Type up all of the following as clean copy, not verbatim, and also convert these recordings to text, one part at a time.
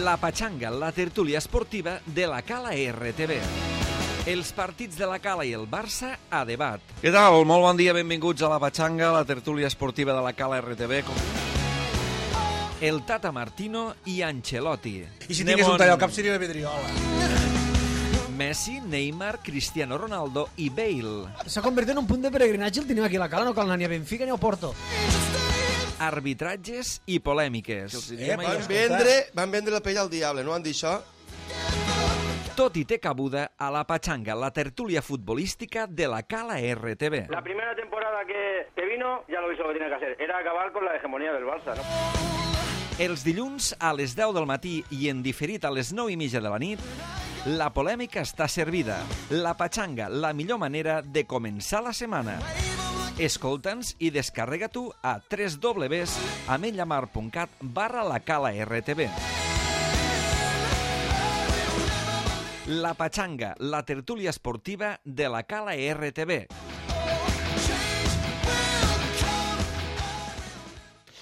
La Patxanga, la tertúlia esportiva de la Cala RTV. Els partits de la Cala i el Barça a debat. Què tal? Molt bon dia, benvinguts a La Patxanga, la tertúlia esportiva de la Cala RTV. El Tata Martino i Ancelotti. I si tingués un tall al cap seria la Vidriola. Messi, Neymar, Cristiano Ronaldo i Bale. S'ha convertit en un punt de peregrinatge el tenim aquí a la Cala, no cal anar ni a Benfica ni a Porto. Arbitratges i polèmiques. Van vendre la pell al diable, no van dir això? Tot i té cabuda a La Patxanga, la tertúlia futbolística de la Cala RTV. La primera temporada que vino, ya lo hizo lo que tenía que hacer. Era acabar con la hegemonía del Barça, ¿no? Els dilluns a les 10 del matí i en diferit a les 9:30 de la nit, la polèmica està servida. La Patxanga, la millor manera de començar la setmana. Escolta'ns i descarrega-t'ho a www.amenyamar.cat/lacala-rtv. La Patxanga, la tertúlia esportiva de la Cala RTV.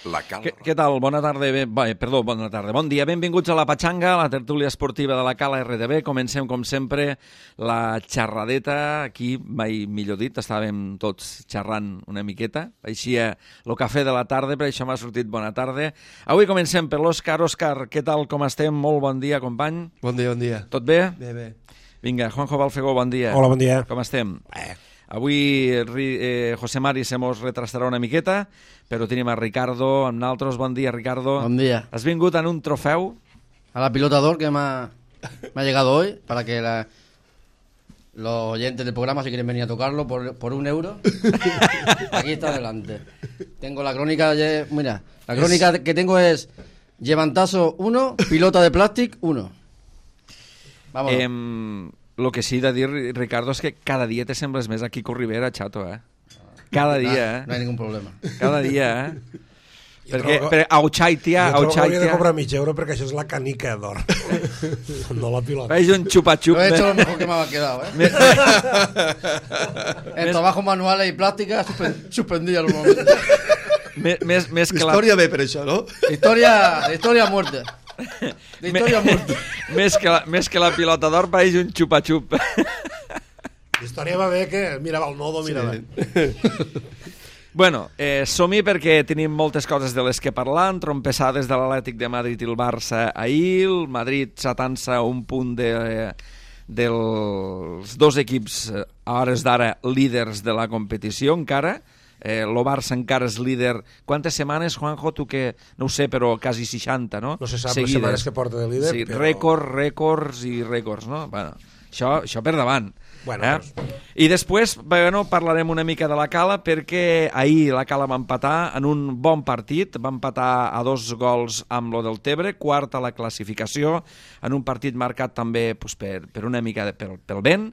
Què tal? Bona tarda. Bona tarda. Bon dia. Benvinguts a La Patxanga, la tertúlia esportiva de la Cala RTV. Comencem, com sempre, la xerradeta. Aquí, mai millor dit, estàvem tots xerrant una miqueta. Aixia el cafè de la tarda, per això m'ha sortit bona tarda. Avui comencem per l'Òscar. Òscar, què tal? Com estem? Molt bon dia, company. Bon dia, bon dia. Tot bé? Bé, bé. Vinga, Juanjo Balfegó, bon dia. Hola, bon dia. Com estem? Avui José Mari se mos retrasarà una miqueta, però tenim a Ricardo amb nosaltres. Bon dia, Ricardo. Bon dia. Has vingut en un trofeu? A la pilota d'or que me ha llegado hoy, para que los oyentes del programa, si quieren venir a tocarlo por €1, aquí está delante. Tengo la crónica, mira, la crónica que tengo es Llevantazo 1, pilota de plàstic 1. Vamos. Lo que sí he de dir, Ricardo, és que cada dia te sembles més a Quico Rivera, xato, Cada dia, No hay ningún problema. Cada dia, Perquè Auchaitia... Jo trobo que hauria de cobrar €1 perquè això és la canica d'or, no la pilota. Veig un xupa-xup. Lo he hecho lo mejor que me ha quedado, En trabajos manuales y plásticas suspendí al momento. Més que la... Història bé per això, no? Historia a muerte. Més que la pilota d'or veig un xupa-xup. La història va bé que mirava el nodo, mirava. Bueno, som-hi perquè tenim moltes coses de les que parlar. Trompessades de l'Atlètic de Madrid i el Barça ahir. El Madrid s'atança un punt dels dos equips a hores d'ara líders de la competició encara. El Barça encara és líder. Quantes setmanes, Juanjo? Tu que no ho sé, però quasi 60, no? No se sap les setmanes que porta de líder. Sí, però... rècords i rècords, no? Bueno, això per davant. Bueno, I després parlarem una mica de la Cala, perquè ahir la Cala va empatar en un bon partit, va empatar a 2 gols amb lo del Tebre, quart a la classificació, en un partit marcat també per una mica pel vent,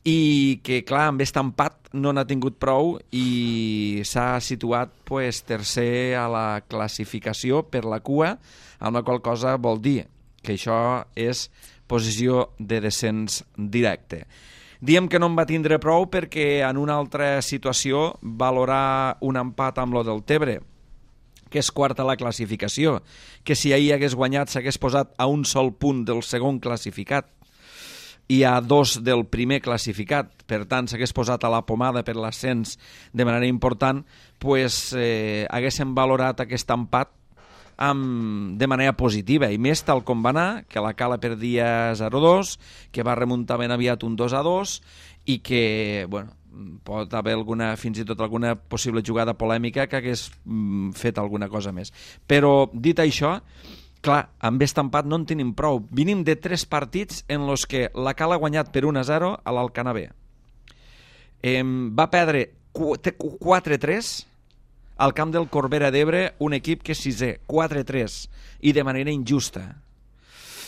i que, clar, amb aquest empat no n'ha tingut prou i s'ha situat tercer a la classificació per la cua, amb la qual cosa vol dir que això és posició de descens directe. Diem que no en va tindre prou perquè en una altra situació valorar un empat amb lo del Tebre, que és quart a la classificació, que si ahir hagués guanyat s'hagués posat a un sol punt del segon classificat i a 2 del primer classificat, per tant s'hagués posat a la pomada per l'ascens de manera important, haguéssim valorat aquest empat de manera positiva, i més tal com va anar, que la Cala perdia 0-2, que va remuntar ben aviat un 2-2, i que pot haver fins i tot alguna possible jugada polèmica que hagués fet alguna cosa més. Però, dit això, clar, amb aquest empat no en tenim prou. Venim de 3 partits en els que la Cala ha guanyat per 1-0 a l'Alcanar B. Va perdre 4-3 al camp del Corbera d'Ebre, un equip que és 6è, 4-3, i de manera injusta.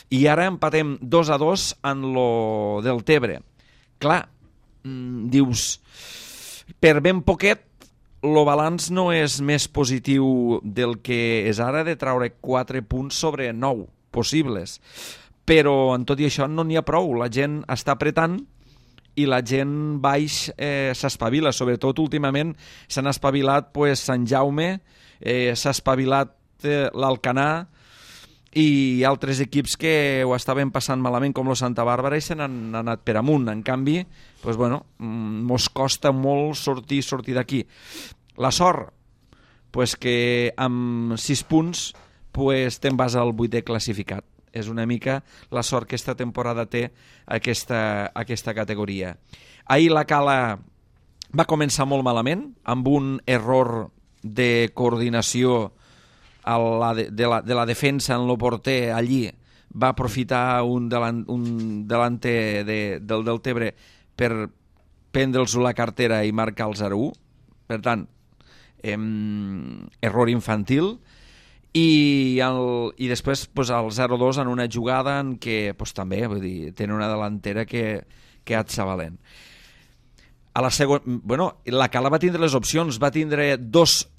I ara empatem 2-2 en lo del Tebre. Clar, dius, per ben poquet, el balanç no és més positiu del que és ara, de traure 4 punts sobre 9 possibles. Però, en tot i això, no n'hi ha prou. La gent està apretant i la gent baix s'espavila. Sobretot, últimament, s'han espavilat Sant Jaume, s'ha espavilat l'Alcanar, i altres equips que ho estaven passant malament com el Santa Bàrbara i se n'han anat per amunt. En canvi, pues bueno, mos costa molt sortir d'aquí. La sort, pues que amb 6 punts pues te'n vas al 8è classificat. És una mica la sort que esta temporada té aquesta categoria. Ahir la Cala va començar molt malament, amb un error de coordinació de la defensa en el porter. Allí va aprofitar un delanter del Deltebre per prendre'ls la cartera i marcar el 0-1. Per tant, error infantil. I després pues, el 0-2 en una jugada en què pues, també vull dir, tenen una delantera que atxa valent. A la la Cala va tindre les opcions, va tindre dos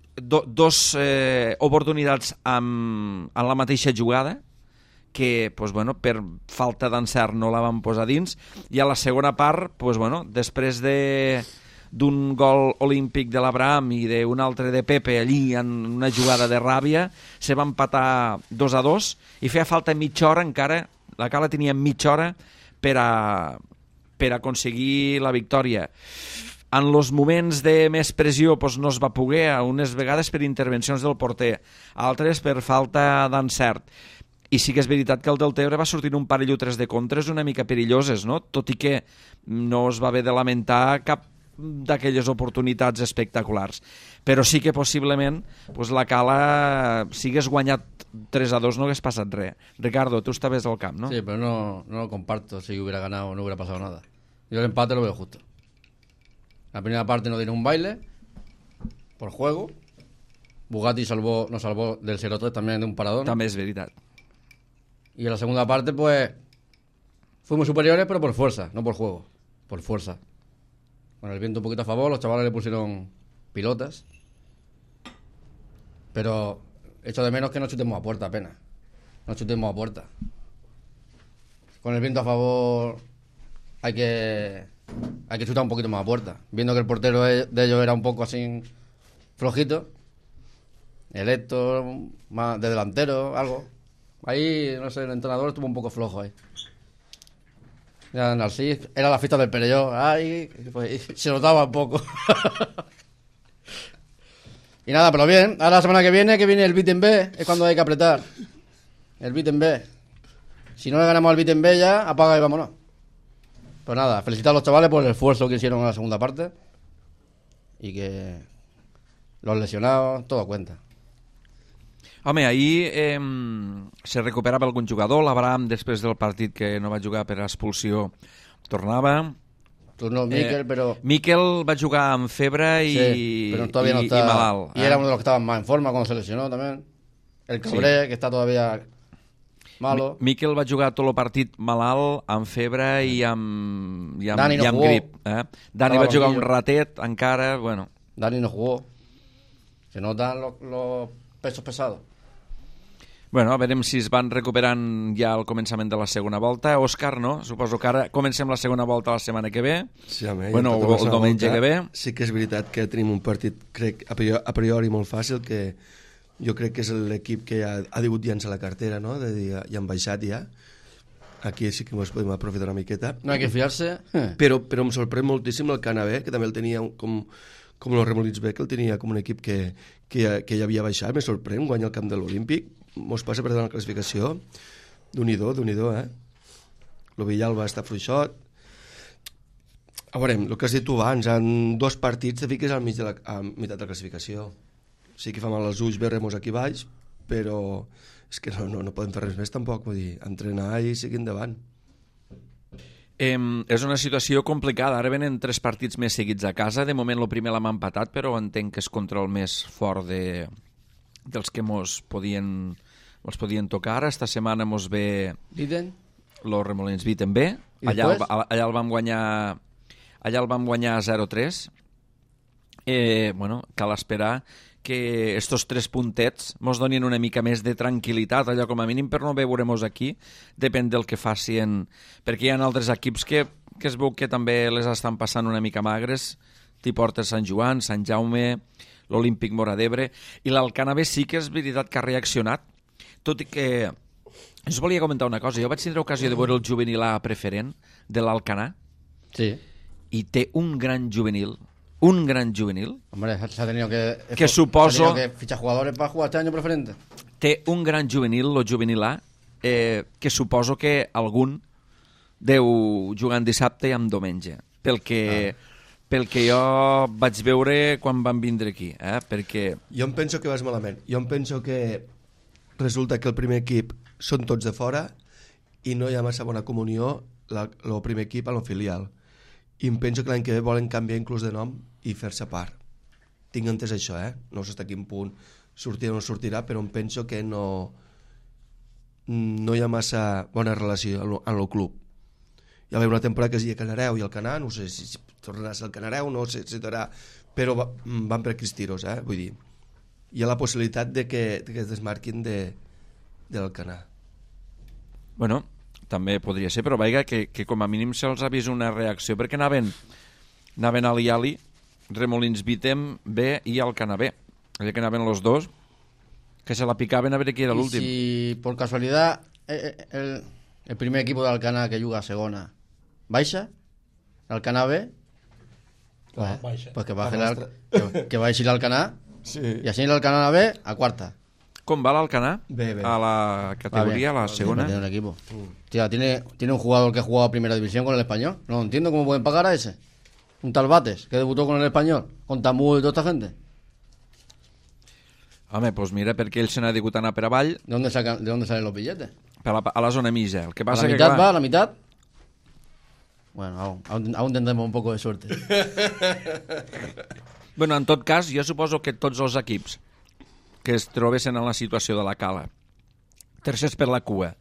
oportunitats en la mateixa jugada que pues, bueno, per falta d'encert no la van posar dins, i a la segona part pues, bueno, després d'un gol olímpic de l'Abraham i d'un altre de Pepe allí en una jugada de ràbia, se va empatar 2-2 i feia falta mitja hora encara. La Cala tenia mitja hora per aconseguir la victòria. En els moments de més pressió pues, no es va poder, unes vegades per intervencions del porter, altres per falta d'encert. I sí que és veritat que el Deltebre va sortir un parell o 3 de contres una mica perilloses, no? Tot i que no es va haver de lamentar cap d'aquelles oportunitats espectaculars. Però sí que possiblement pues, la Cala, si hagués guanyat 3-2 no hagués passat res. Ricardo, tu estaves al camp, ¿no? Sí, pero no lo comparto. Si hubiera ganado no hubiera pasado nada. Yo el empate lo veo justo. La primera parte nos dieron un baile por juego. Bugatti nos salvó del 0-3 también de un paradón. També és veritat. Y en la segunda parte, pues, fuimos superiores, pero por fuerza, no por juego. Por fuerza. Con el viento un poquito a favor, los chavales le pusieron pilotas. Pero echo de menos que no chutemos a puerta apenas. No chutemos a puerta. Con el viento a favor hay que chutar un poquito más a puerta. Viendo que el portero de ellos era un poco así flojito. El Héctor, más de delantero, algo. Ahí, no sé, el entrenador estuvo un poco flojo ahí. Ya Narcís, era la fiesta del Perelló. Ay, pues, se notaba un poco. Y nada, pero bien. Ahora la semana que viene el Beat en B, es cuando hay que apretar. El Beat en B. Si no le ganamos al Beat en B ya, apaga y vámonos. Pues nada, felicitar a los chavales por el esfuerzo que hicieron en la segunda parte. Y que los lesionados, todo cuenta. Home, ahir se recuperava algun jugador. L'Abraham, després del partit que no va jugar per expulsió, tornava. Tornó Miquel, pero... Miquel va jugar amb febre pero todavía no está... i malalt. Y era uno de los que estaban más en forma cuando se lesionó también. El Cabré, que está todavía malo. Miquel va jugar tot el partit malalt, amb febre i amb Dani no jugó. grip. Dani va jugar un ratet encara, bueno. Dani no jugó. Se notan los pesos pesados. Bueno, a veure si es van recuperant ja al començament de la segona volta. Òscar, no? Suposo que ara comencem la segona volta la setmana que ve. Sí, home, bueno, o el diumenge que ve. Sí que és veritat que tenim un partit, crec, a priori molt fàcil, que jo crec que és l'equip que ja ha degut llançar la cartera, no? De dir, ja han baixat ja. Aquí sí que ens podem aprofitar una miqueta. No hay que fiarse. Però em sorprèn moltíssim el Canabé, que també el tenia com el Remolins B, que el tenia com un equip que ja havia baixat. Me sorprèn guanyar el camp de l'Olímpic. Mos passa per davant la classificació. Déu-n'hi-do, el Villalba està fluixot. A veure, el que has dit tu abans, en 2 partits te fiques al mig a meitat de la classificació. Sí que fa mal als ulls veure-mos aquí baix, però és que no podem fer res més tampoc, vull dir, entrenar i seguir endavant. És una situació complicada. Ara venen 3 partits més seguits a casa. De moment el primer l'hem empatat, però entenc que és contra el més fort dels que mos podien tocar. Esta setmana mos ve los Remolins Beat en B. Allà el vam guanyar 0-3. Bueno, cal esperar que estos 3 puntets mos donin una mica més de tranquil·litat, allò com a mínim per no veure-mos aquí, depèn del que facin, perquè hi ha altres equips que es veu que també les estan passant una mica magres, Tiportes Sant Joan, Sant Jaume, l'Olímpic Móra d'Ebre, i l'Alcanavés sí que és veritat que ha reaccionat, tot i que Us volia comentar una cosa. Jo vaig tindre ocasió de veure el juvenil A preferent de l'Alcanar Sí. i té un gran juvenil, Hombre, se ha tenido Que suposo- se ha tenido que fichar jugadores para jugar este año preferente. té un gran juvenil, el juvenil A, que suposo que algun deu jugar en dissabte i en diumenge, pel que jo vaig veure quan van vindre aquí, perquè Jo em penso que vas malament. Jo em penso que resulta que el primer equip són tots de fora i no hi ha massa bona comunió el primer equip a la filial. I em penso que l'any que ve volen canviar inclús de nom i fer-se part. Tinc entès això, No sé fins a quin punt sortirà o no sortirà, però em penso que no hi ha massa bona relació en el club. Hi va haver una temporada que es deia Canareu i el Canà, no sé si tornarà a ser el Canareu, no sé si tornarà, però van per aquells tiros, vull dir, hi ha la possibilitat de que es desmarquin del Canà. bueno, també podria ser, però veiga que com a mínim se'ls ha vist una reacció, perquè anaven a l'Iali, Remolins Vitem B i Alcanar B, allà que anaven los dos, que se la picaven a veure qui era Y l'últim. si por casualidad el primer equipo de Alcanar que juega a segona baixa, Alcanar B, pues que baje que baixi l'Alcanar y así l'Alcanar B a cuarta. Com va l'Alcanar? Bé. A la categoría, a la segona. Tiene un equipo. Tía, tiene un jugador que ha jugado a primera división con el Español. No entiendo cómo pueden pagar a ese. Un tal Bates que debutó con el Español, con Tamú y toda esta gente. Home, doncs mira, perquè ell se n'ha digut anar per avall, ¿De dónde salen los billetes? a la zona mitja. El que ¿A passa la que, mitad clar, va? ¿A la mitad? Bueno, aún tendremos un poco de suerte. bueno, en tot cas, jo suposo que tots els equips que es trobessin en la situació de la Cala, tercers per la cua,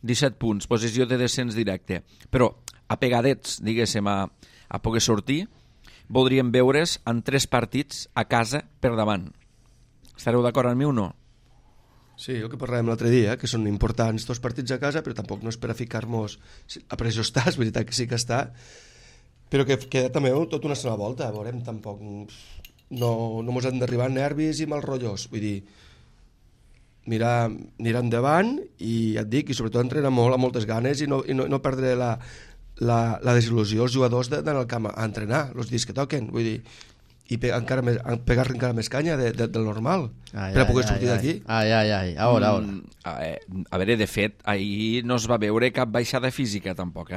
17 punts, posició de descens directe, però apegadets, diguéssim, a poder sortir, voldríem veure's en 3 partits a casa per davant. Estareu d'acord amb mi o no? Sí, el que parlàvem l'altre dia, que són importants tots partits a casa, però tampoc no és per a ficar-nos... A pressió està, és veritat que sí que està, però que queda també tota una sola volta, veurem, tampoc... No mos han d'arribar nervis i mal rotllos, vull dir, mirar endavant i ja et dic, i sobretot entrenar molt, amb moltes ganes i no perdre la desil·lusió als jugadors d'anar al camp a entrenar els dies que toquen, vull dir, i pegar-li encara més canya del normal per a poder sortir d'aquí. Ay. Ahora. A veure, de fet, ahir no es va veure cap baixada física, tampoc,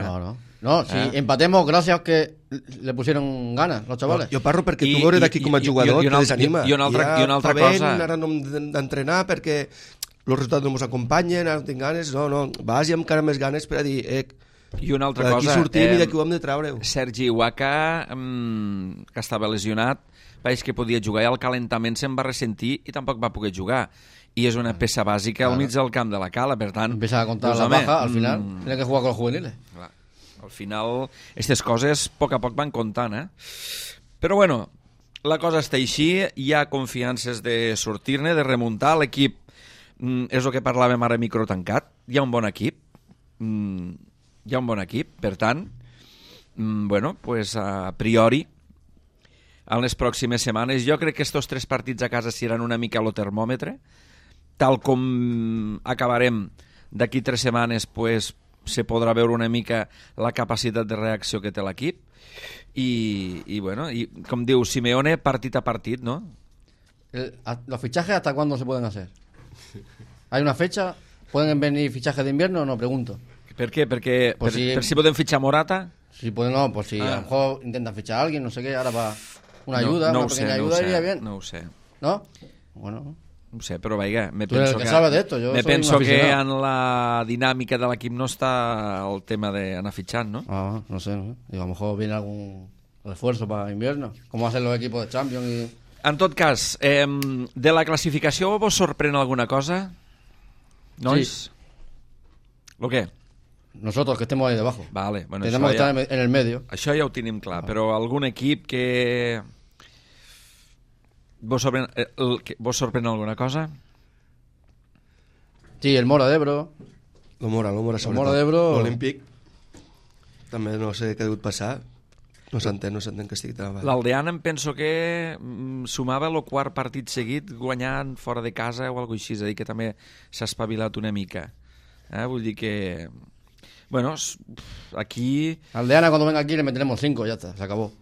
No, si empatemos gracias que le pusieron ganas los chavales. Jo parlo perquè tu veure d'aquí com a jugador te desanima. I una altra cosa... Ara no hem d'entrenar perquè els resultats no ens acompanyen, ara no tinc ganes, no, vas i amb encara més ganes per a dir, I una altra d'aquí cosa... sortim i d'aquí ho hem de treure. Sergi Huaca, que estava lesionat, veig que podia jugar i al calentament se'n va ressentir i tampoc va poder jugar. I és una peça bàsica al mig del camp de la Cala, per tant... Empieza a contar doncs, la home, baja, al final tiene que jugar con los juveniles. Clar, al final, aquestes coses a poc van comptant, Però bueno, la cosa està així, hi ha confiances de sortir-ne, de remuntar, l'equip és el que parlàvem ara micro tancat, hi ha un bon equip, per tant, bueno, pues a priori, en les pròximes setmanes, jo crec que estos 3 partits a casa seran una mica a lo termòmetre, tal com acabarem d'aquí 3 setmanes, pues, se podrà veure una mica la capacitat de reacció que té l'equip i bueno, i com diu Simeone, partit a partit, no? ¿Los fichajes hasta cuándo se pueden hacer? ¿Hay una fecha? ¿Pueden venir fichajes de invierno o no? Pregunto. Per què? Perquè Pues per si podem fitxar Morata? Si pueden, no, pues si a lo mejor intentan fichar a alguien, no sé qué, ahora va una ayuda, no una ho sé, pequeña no ayuda ho sé, iría bien. no ho sé. ¿No? Bueno, No ho sé, però vaja, me Tú eres penso el que sabe de esto, yo me soy penso un que aficionado. en la dinàmica de l'equip no està el tema d'anar fitxant, no? no sé. Digo, a lo mejor viene algún refuerzo para invierno, como hacen los equipos de Champions y... En tot cas, de la classificació vos sorprèn alguna cosa? Nois? ¿Lo què? Nosotros que estemos ahí debajo. Vale, bueno, Tenemos que això estar en el medio. Això ja ho tenim clar, però algun equip que... Vos sorprèn alguna cosa? Sí, el Mora de Ebro. El Mora sobretot. d'Ebro. L'Olímpic també no sé què ha degut passar. No s'entén que estigui tan avall. L'Aldeana em penso que sumava el 4 partit seguit guanyant fora de casa o alguna cosa així, és a dir, que també s'ha espavilat una mica. Vull dir que... Bueno, aquí... Aldeana, cuando venga aquí le meteremos 5, ya está, se acabó.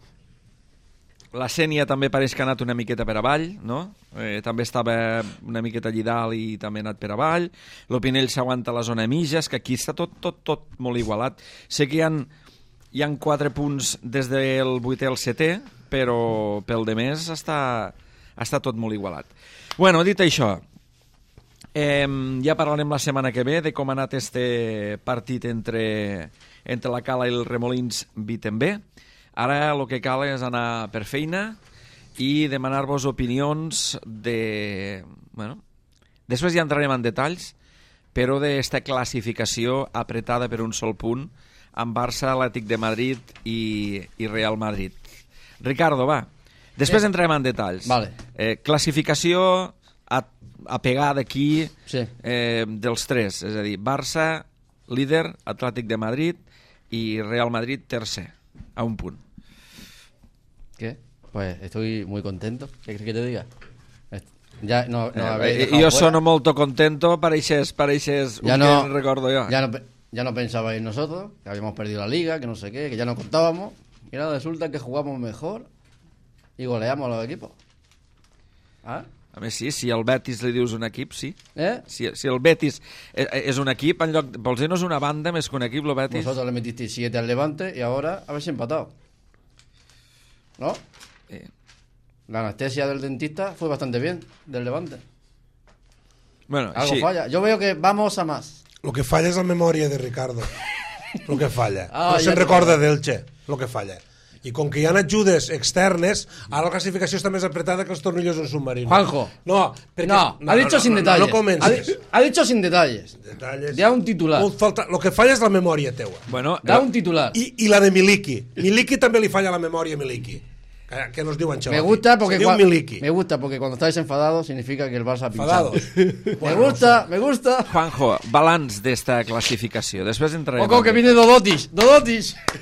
La Sènia també pareix que ha anat una miqueta per avall, no? També estava una miqueta allí dalt i també ha anat per avall. L'Opinell s'aguanta a la zona mitja, que aquí està tot molt igualat. Sé que hi ha 4 punts des del 8è al 7è, però pel de més està tot molt igualat. Bueno, dit això, ja parlarem la setmana que ve de com ha anat este partit entre la Cala i el Remolins Wittenberg. Ara el que cal és anar per feina i demanar-vos opinions de... Bueno, després ja entrarem en detalls, però d'esta classificació apretada per un sol punt amb Barça, Atlètic de Madrid i Real Madrid. Ricardo, va. Després entrarem en detalls. Vale. Classificació a pegar d'aquí Sí. dels 3, és a dir, Barça, líder, Atlètic de Madrid i Real Madrid, tercer, a un punt. ¿Qué? Pues estoy muy contento. ¿Qué crees que te diga? Ya no Yo sono molto contento, pareixes Ya un no- que recordo yo. Ya no pensabais en nosotros, que habíamos perdido la liga, que no sé qué, que ya no contábamos. Y ahora resulta que jugamos mejor y goleamos a los equipos. ¿Ah? A més, sí, si al Betis li dius un equip, sí. ¿Eh? Si el Betis és un equip, en lloc... Vols dir, no és una banda més que un equip, el Betis? Vosotros le metisteis 7 al Levante y ahora habéis empatado. ¿No? La anestesia del dentista fue bastante bien, del Levante. Bueno, Algo així. falla. Yo veo que vamos a más. Lo que falla és la memòria de Ricardo. Lo que falla. Ah, No ja se'n te- recorda d'Elche, lo que falla. I com que hi ha ajudes externes, ara la classificació està més apretada que els tornillos d'un submarino. Juanjo. No, perquè... No, ha dicho sin detalles. No comences. Ha dicho sin detalles. Detalles. Da un titular. Lo que falla és la memòria teua. Bueno, Da un titular. I la de Miliki. Miliki també li falla la memòria a Miliki. Que nos diu Ancelotti. Me gusta porque Se diu Miliki. me gusta porque cuando estáis enfadados significa que el Barça ha pinchado. Enfadados. Me gusta. Juanjo, balanç d'esta classificació. Després entrarem... Ojo que viene Dodotis.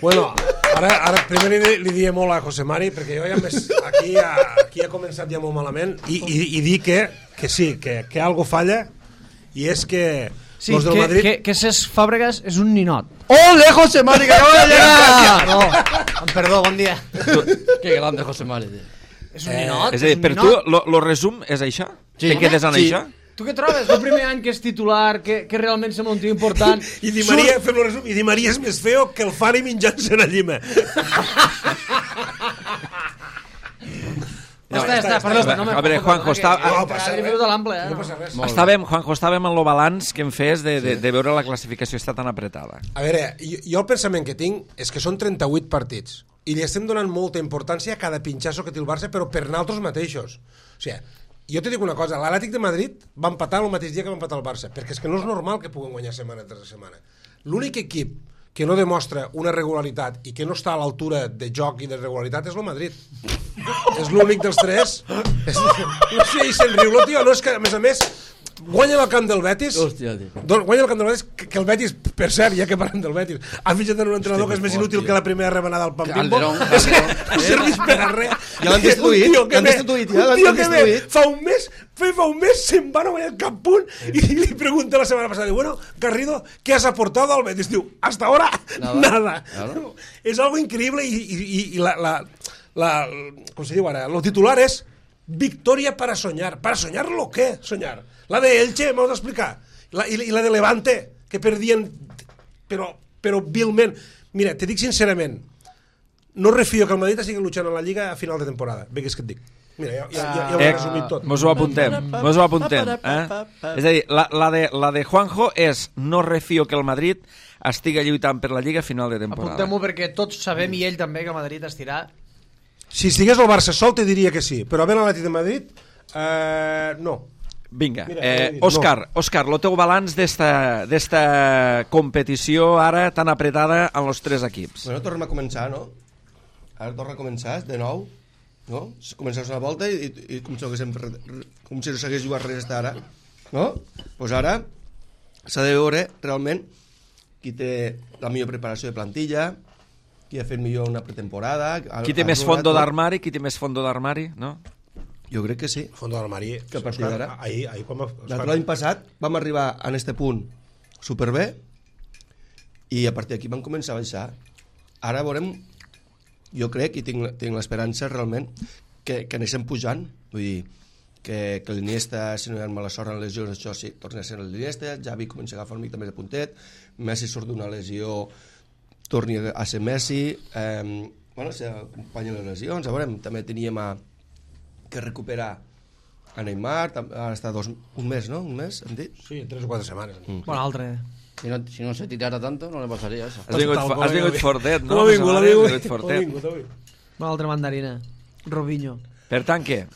Bueno, ara primer li diem molt a José Mari, perquè jo ja més, aquí ha començat ja molt malament, i dir que sí, que algo falla, i és que Sí, los del Madrid... que Cesc Fàbregas és un ninot. ¡Ole, José Mari, que acaba de llegar! No, perdó, bon dia. Qué grande José Mari, tío. És un ninot, És a dir, per tu, lo resum és això? Sí. Te quedes en Sí. això? Tu què trobes? El primer any que és titular, que realment sembla un tio important. I Di Maria, fem-lo resum, i Di Maria és més feo que el Fari menjant-se una llima. Ja està, perdó. A veure, Juanjo, No passa res. No No passa res. Juanjo, estàvem en lo balanç que em fes de veure la classificació està tan apretada. A veure, jo el pensament que tinc és que són 38 partits i li estem donant molta importància a cada pinxasso que té el Barça, però per nosaltres mateixos. O sigui, jo te dic una cosa, l'Atlètic de Madrid va empatar el mateix dia que va empatar el Barça, perquè és que no és normal que puguin guanyar setmana tras setmana. L'únic equip que no demostra una regularitat i que no està a l'altura de joc i de regularitat és el Madrid. És l'únic dels tres. No sé, i se'n riu, lo tio, no és que, a més, guanya el camp del Betis. Hòstia, tio. Guanya el camp del Betis, que el Betis, per cert, ja que parlem del Betis, ha fitxat en un entrenador que és més inútil que la primera remenada al Pampimbo. Calderón. No serveix per a res. Ja l'han destituït, l'han destituït, ja l'han destituït. Fa un mes se'n va, no guanyar cap punt, i li pregunta la setmana passada, diu, bueno, Garrido, ¿qué has aportado al Betis? Diu, hasta ahora, nada. Claro. És algo increïble i com se diu ara, el titular és victoria para soñar. ¿Para soñar lo qué? Soñar. La de Elche, vamos a explicar. I la de Levante, que perdien, però vilment. Mira, te dic sincerament, no refio que el Madrid estigui luchant a la Lliga a final de temporada. Bé, que és que et dic. Mira, ja ho he resumit tot. Mos ho apuntem. És a dir, la de Juanjo és no refio que el Madrid estigui lluitant per la Lliga a final de temporada. Apuntem-ho perquè tots sabem, i ell també, que el Madrid estirà. Si estigués el Barça sol te diria que sí, però havent l'Atlètic de Madrid, no. Vinga, Mira, Òscar, el teu balanç d'esta competició ara tan apretada en els tres equips. Bueno, tornem a començar, no? Ara torna a començar, de nou, no? Començar una volta i com si no s'hagués jugat res fins ara, no? Doncs ara s'ha de veure realment qui té la millor preparació de plantilla, qui ha fet millor una pretemporada... Qui té més fondo d'armari, no? Jo crec que sí. Fondo d'armari. Que a partir d'ara... Ahir quan L'any passat vam arribar a este punt superbé, i a partir d'aquí van començar a baixar. Ara veurem, jo crec, i tinc l'esperança realment, que anessin pujant, vull dir, que l'Iniesta, si no hi ha mala sort en lesions, això sí, torna a ser l'Iniesta, Xavi comença a agafar una mica més de puntet, Messi surt d'una lesió, torni a ser Messi, s'acompanyen les lesions, a veure, també teníem que recuperar a Neymar, ara està un mes, no? Un mes, hem dit? Sí, 3 o 4 setmanes. Bueno, altre. Si no se tirara tanto, no le pasaría eso. Has vingut fortet, no? Has vingut fortet. Una altra mandarina. Robinho. Per tant, què?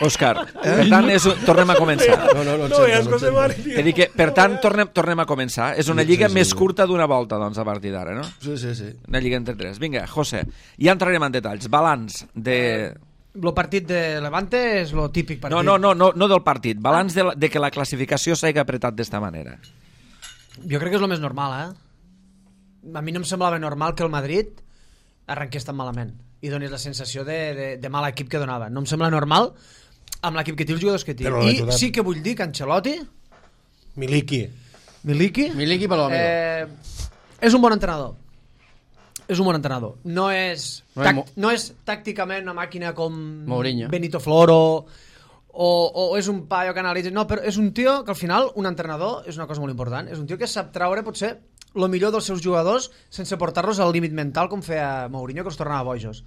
Òscar, per tant, tornem a començar. He dit que, per tant, tornem a començar. És una lliga més curta d'una volta, doncs, a partir d'ara, no? Sí. Una lliga entre 3. Vinga, José, ja entrarem en detalls. Balanç de... El partit de Levante és el típic partit. No del partit. Balanç de que la classificació s'hagi apretat d'esta manera. Jo crec que és el més normal, A mi no em semblava normal que el Madrid arrenqués tan malament i donés la sensació de mal equip que donava. No em sembla normal amb l'equip que té, els jugadors que té. I sí que vull dir que Ancelotti... Miliki per l'amigo. És un bon entrenador. No és tàcticament una màquina com Mourinho, Benito Floro o és un paio que analitza. No, però és un tio que al final, un entrenador, és una cosa molt important, és un tio que sap traure potser el millor dels seus jugadors sense portar-los al límit mental com feia Mourinho, que els tornava bojos.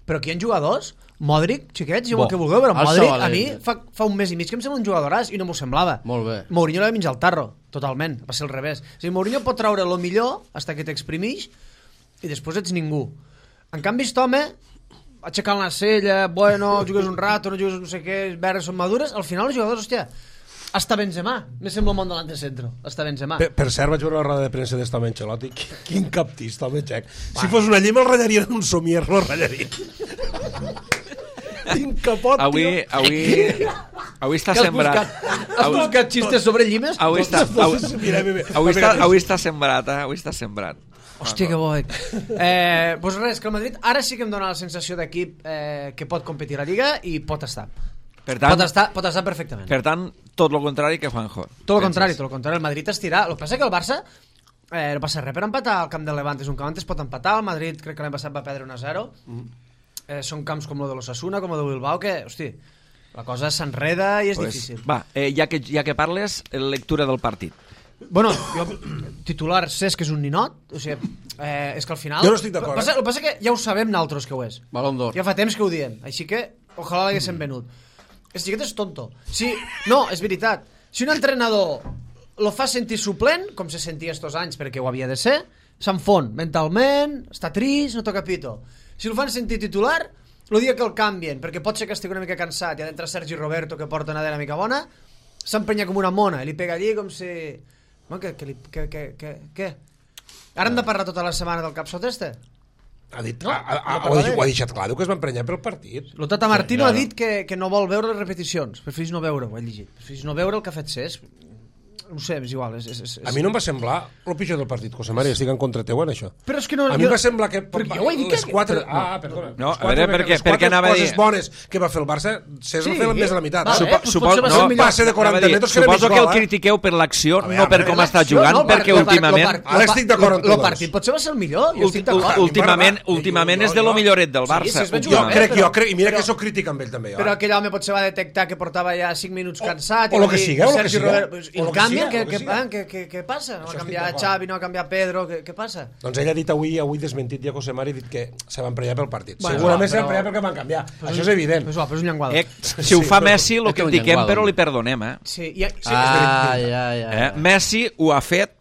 Però aquí hi ha jugadors, Modric, xiquets, jo el que vulgueu, però Modric a mi fa un mes i mig que em sembla un jugadoràs i no m'ho semblava. Molt bé. Mourinho l'ha menjat el tarro, totalment, va ser al revés. O sigui, Mourinho pot treure el millor fins que t'exprimix i després ets ningú. En canvi, aquest home, aixecant la cella, bueno, jugues un rato, no jugues no sé què, les verdes són madures, al final els jugadors, hòstia, hasta Benzema, me sembla un món davant de centro, hasta Benzema. Per cert, vaig veure la roda de premsa d'esta home Ancelotti, quin captista, home, xec. Si fos una llima el ratllaria en un somier, no el ratllaria. Quin capot, avui està sembrat. Has buscat xistes sobre llimes? Avui està sembrat. Hòstia, que bo. Pues res, que el Madrid ara sí que em dona la sensació d'equip que pot competir a la Lliga i pot estar. Per tant, pot estar perfectament. Per tant, tot el contrari que Juanjo. Tot el contrari. El Madrid estirà. El que passa que el Barça no passa res per empatar al camp del Levante. És un camp on es pot empatar. El Madrid crec que l'any passat va perdre 1-0. Són camps com el de l'Osasuna, com el de Bilbao, que, hosti, la cosa s'enreda i és difícil. Va, ja que parles, lectura del partit. Bueno, jo, titular Cesc és un ninot, o sigui, és que al final... Jo no estic d'acord. El que passa que ja ho sabem naltros que ho és. Balón d'or. Ja fa temps que ho diem, així que ojalà l'haguéssim venut. El xiquet és tonto. No, és veritat. Si un entrenador lo fa sentir suplent, com se sentia estos anys perquè ho havia de ser, s'enfon mentalment, està trist, no toca pito. Si el fan sentir titular, el dia que el canvien, perquè pot ser que estigui una mica cansat i ha d'entrar Sergi Roberto, que porta una dena mica bona, s'emprenya com una mona i li pega allí com si... Què? Ara hem de parlar tota la setmana del capsot este? Ho ha deixat clar, diu que es va emprenyar pel partit. El Tata Martino ha dit que no vol veure les repeticions, preferís no veure, ho he llegit, preferís no veure el que ha fet Cesc. No sé, és igual. A mi no em va semblar el pitjor del partit, José María, estic en contra teu en això. Però és que no... A mi em va semblar que... Perquè jo ho he dit les que... quatre... perdona. No, a veure, perquè anava a dir... Les bones que va fer el Barça, Cesc va fer més de la meitat. Passe de 40 metres que suposo que el critiqueu per l'acció, no per com està jugant, perquè últimament... Ara estic d'acord amb tu. El partit potser va ser el millor, jo estic d'acord. Últimament és de lo milloret del Barça. Jo crec, i mira que soc crític amb ell també. Però aquell home potser va detectar que portava ja 5 minuts cansat... O el que siga, Què passa? No va canviar Xavi, no va canviar Pedro, què passa? Doncs ell ha dit avui desmentit ja José Mari, ha dit que se va emprenyar pel partit. Segurament se va emprenyar perquè van canviar. Això és evident. Però és un llenguado. Si ho fa Messi, lo critiquem, però li perdonem, Sí, Messi ho ha fet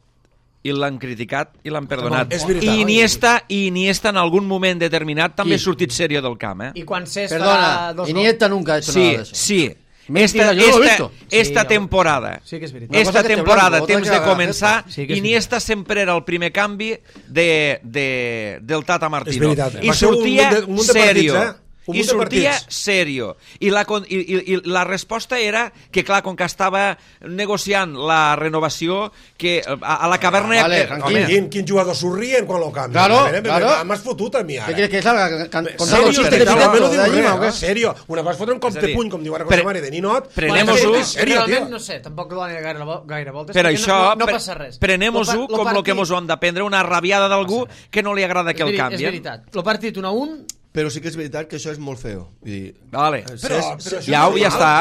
i l'han criticat i l'han perdonat. I Iniesta en algun moment determinat també ha sortit serio del camp. I quan Cesc Perdona, Iniesta nunca ha hecho nada de eso. Sí. Mentira, yo lo he visto. Esta temporada, temps de començar, Iniesta sempre era el primer canvi del Tata Martino. I sortia serio. i sortia serio. I la resposta era que, clar, com que estava negociant la renovació, que a la caverna... Quin jugador sorrien quan lo canvia? Claro. M'has fotut a mi, ara. ¿Qué quieres que salga? Serio. Una cosa fotre un cop de puny, com diu ara José Mari de Ninot. Prenem-ho-ho. Realment, no sé, tampoc lo van gaire voltes. Per això, no passa res. prenem-ho-ho com el que mos ho han d'aprendre, una rabiada d'algú que no li agrada que el canvien. És veritat. El partit 1-1... Però sí que és veritat que això és molt feo. Vale. Però ja està.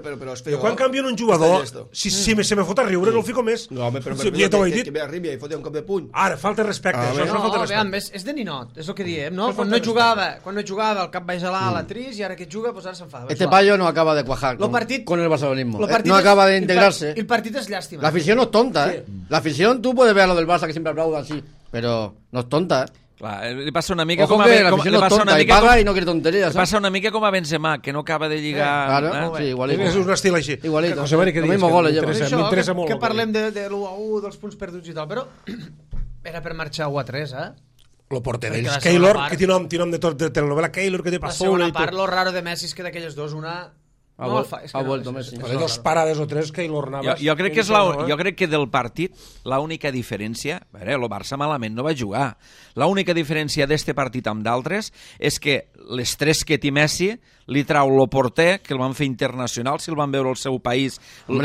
Però és feo. Quan canvien un jugador, si se me fot a riure, no el fico més. No, home, però que ve arribi i foti un cop de puny. Ara, falta respecte. Això és una falta de respecte. És de ninot, és el que diem, no? Quan no jugava, el cap baix a l'ala trist, i ara que juga, pues ara s'enfada. Este payo no acaba de cuajar con el barcelonismo. No acaba de integrarse. El partit és llàstima. La afición no es tonta, ¿eh? La afición, tú puedes ver a lo del Barça que siempre aplaudan así, pero no es tonta, ¿eh? Clar, li passa una mica Ojo com a... que la afición no es tonta y paga y no quiere tonterías. Li passa una mica com a Benzema, que no acaba de lligar... Claro, sí, igualito. És un estil així. Igualito. José Mari, què Lo dius? mismo goles lleva. M'interessa molt. Que parlem de l'1-1, dels punts perduts i tal, però era per marxar 1-3, eh? Lo porter d'ells, Keylor, que té nom de telenovela, Keylor, que té La passola segona i part, tot. lo raro de Messi és que d'aquelles dos, una... Ha vuelto Messi. Hay dos parades o tres, Keylor Navas. Jo crec que del partit l'única diferència... A veure, el Barça malament no va jugar. L'única diferència d'este partit amb d'altres és que les tres que té Messi li trau el porter, que el van fer internacional, si el van veure al seu país,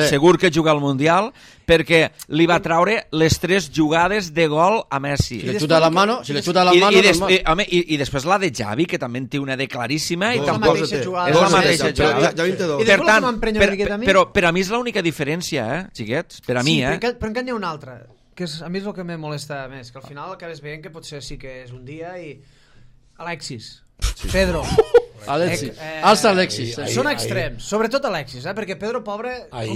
segur que juga al Mundial, perquè li va traure les tres jugades de gol a Messi. Si le chuta las manos, normal. I després la de Xavi, que també en té una de claríssima, i És tampoc... la mateixa jugada. És la mateixa jugada. I després la que m'emprenya una miqueta a mi... Però per a mi és l'única diferència, xiquets? Per a mi, però encara n'hi ha una altra, que a mi és el que me molesta més, que al final acabes veient que potser sí que és un dia i... Alexis, Pedro... Alexis. Alça Alexis. Són extrems, sobretot Alexis, perquè Pedro, pobre,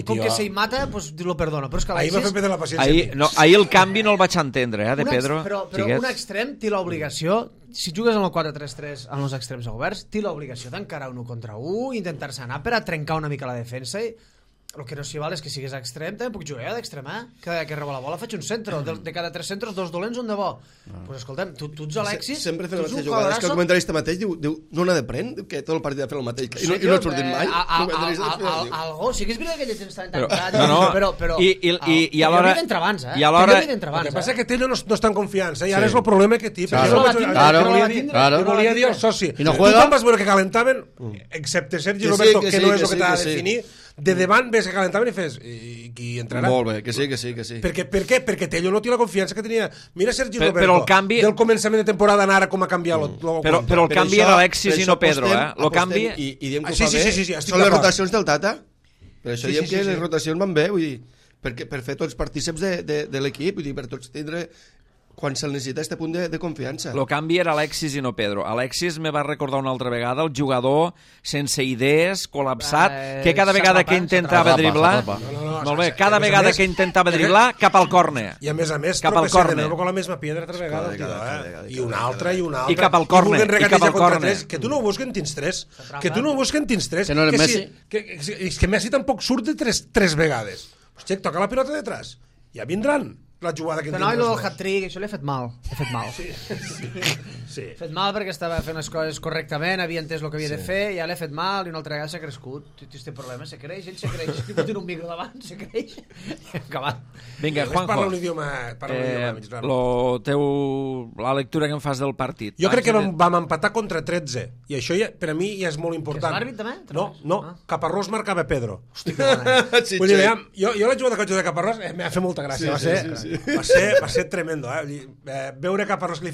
com que se hi mata, pues lo perdono, però és que Alexis... Ahir m'ha fet perdre la paciència. Ahir el canvi no el vaig entendre, de Pedro. Però un extrem té l'obligació, si jugues amb el 4-3-3 amb els extrems oberts, té l'obligació d'encarar 1 contra 1, intentar-se anar per a trencar una mica la defensa i... El que no s'hi val és que siguis extrem, també puc jugar d'extrem, que rebo la bola faig un centre, de cada 3 centres 2 dolents, un de bo. Pues escolta'm, tu ets Alexis, sempre fent la mateixa jugada. És que el comentarista mateix diu no n'ha de prendre, que tot el partit ha fet el mateix. I no ha sortit mai. Algú, sí que és veritat que ell tens tancat, però i alhora... d'entre abans, I alhora... El que passa és que Tello no està en confiança, i ara és el problema que té. Claro. Volia dir el soci. I no juega. Tu quan vas veure que calentaven, excepte Sergi Roberto, que no és el que t'ha de definir, de davant ves que calentaven i fes i qui entrarà? Molt bé, que sí. Per què? Perquè Tello no té la confiança que tenia. Mira Sergi Roberto, però el canvi... del començament de temporada ara com ha canviat però el canvi era Alexis i no Pedro, el canvi... I diem que ho fa bé, són les rotacions del Tata. Per això diem que les rotacions van bé, vull dir, per fer tots partíceps de l'equip, vull dir, per tots tindre... quan se'l necessita este punt de confiança. El canvi era Alexis i no Pedro. Alexis me va recordar una altra vegada el jugador sense idees, col·lapsat, que cada vegada que intentava driblar... Molt bé, cada vegada que intentava driblar, cap al córner. I a més, tropecem de nou con la mesma piedra altra vegada. I una altra. I cap al córner. Que tu no ho busquen tins 3. Que tu no ho busquen tins 3. Que no eres Messi. És que Messi tampoc surt de 3 vegades. Hòstia, toca la pilota detrás. Ja vindran. La jugada que no, i el hat-trick, això l'he fet mal. Sí. He fet mal perquè estava fent les coses correctament, havia entès el que havia de fer, ja l'he fet mal i una altra vegada s'ha crescut. Este problema se creix, ell se creix. Si tens un micro davant, se creix. Acabat. Vinga, Juanjo. Parla un idioma mig raro. La lectura que em fas del partit. Jo crec que vam empatar contra 13, i això per a mi ja és molt important. És l'àrbit també? No. Caparrós marcava Pedro. Hosti, que bona. Vull dir, jo la jugada que vaig jugar de Caparrós m'ha fet molta gràcia. Va ser tremendo, veure Caparrós que li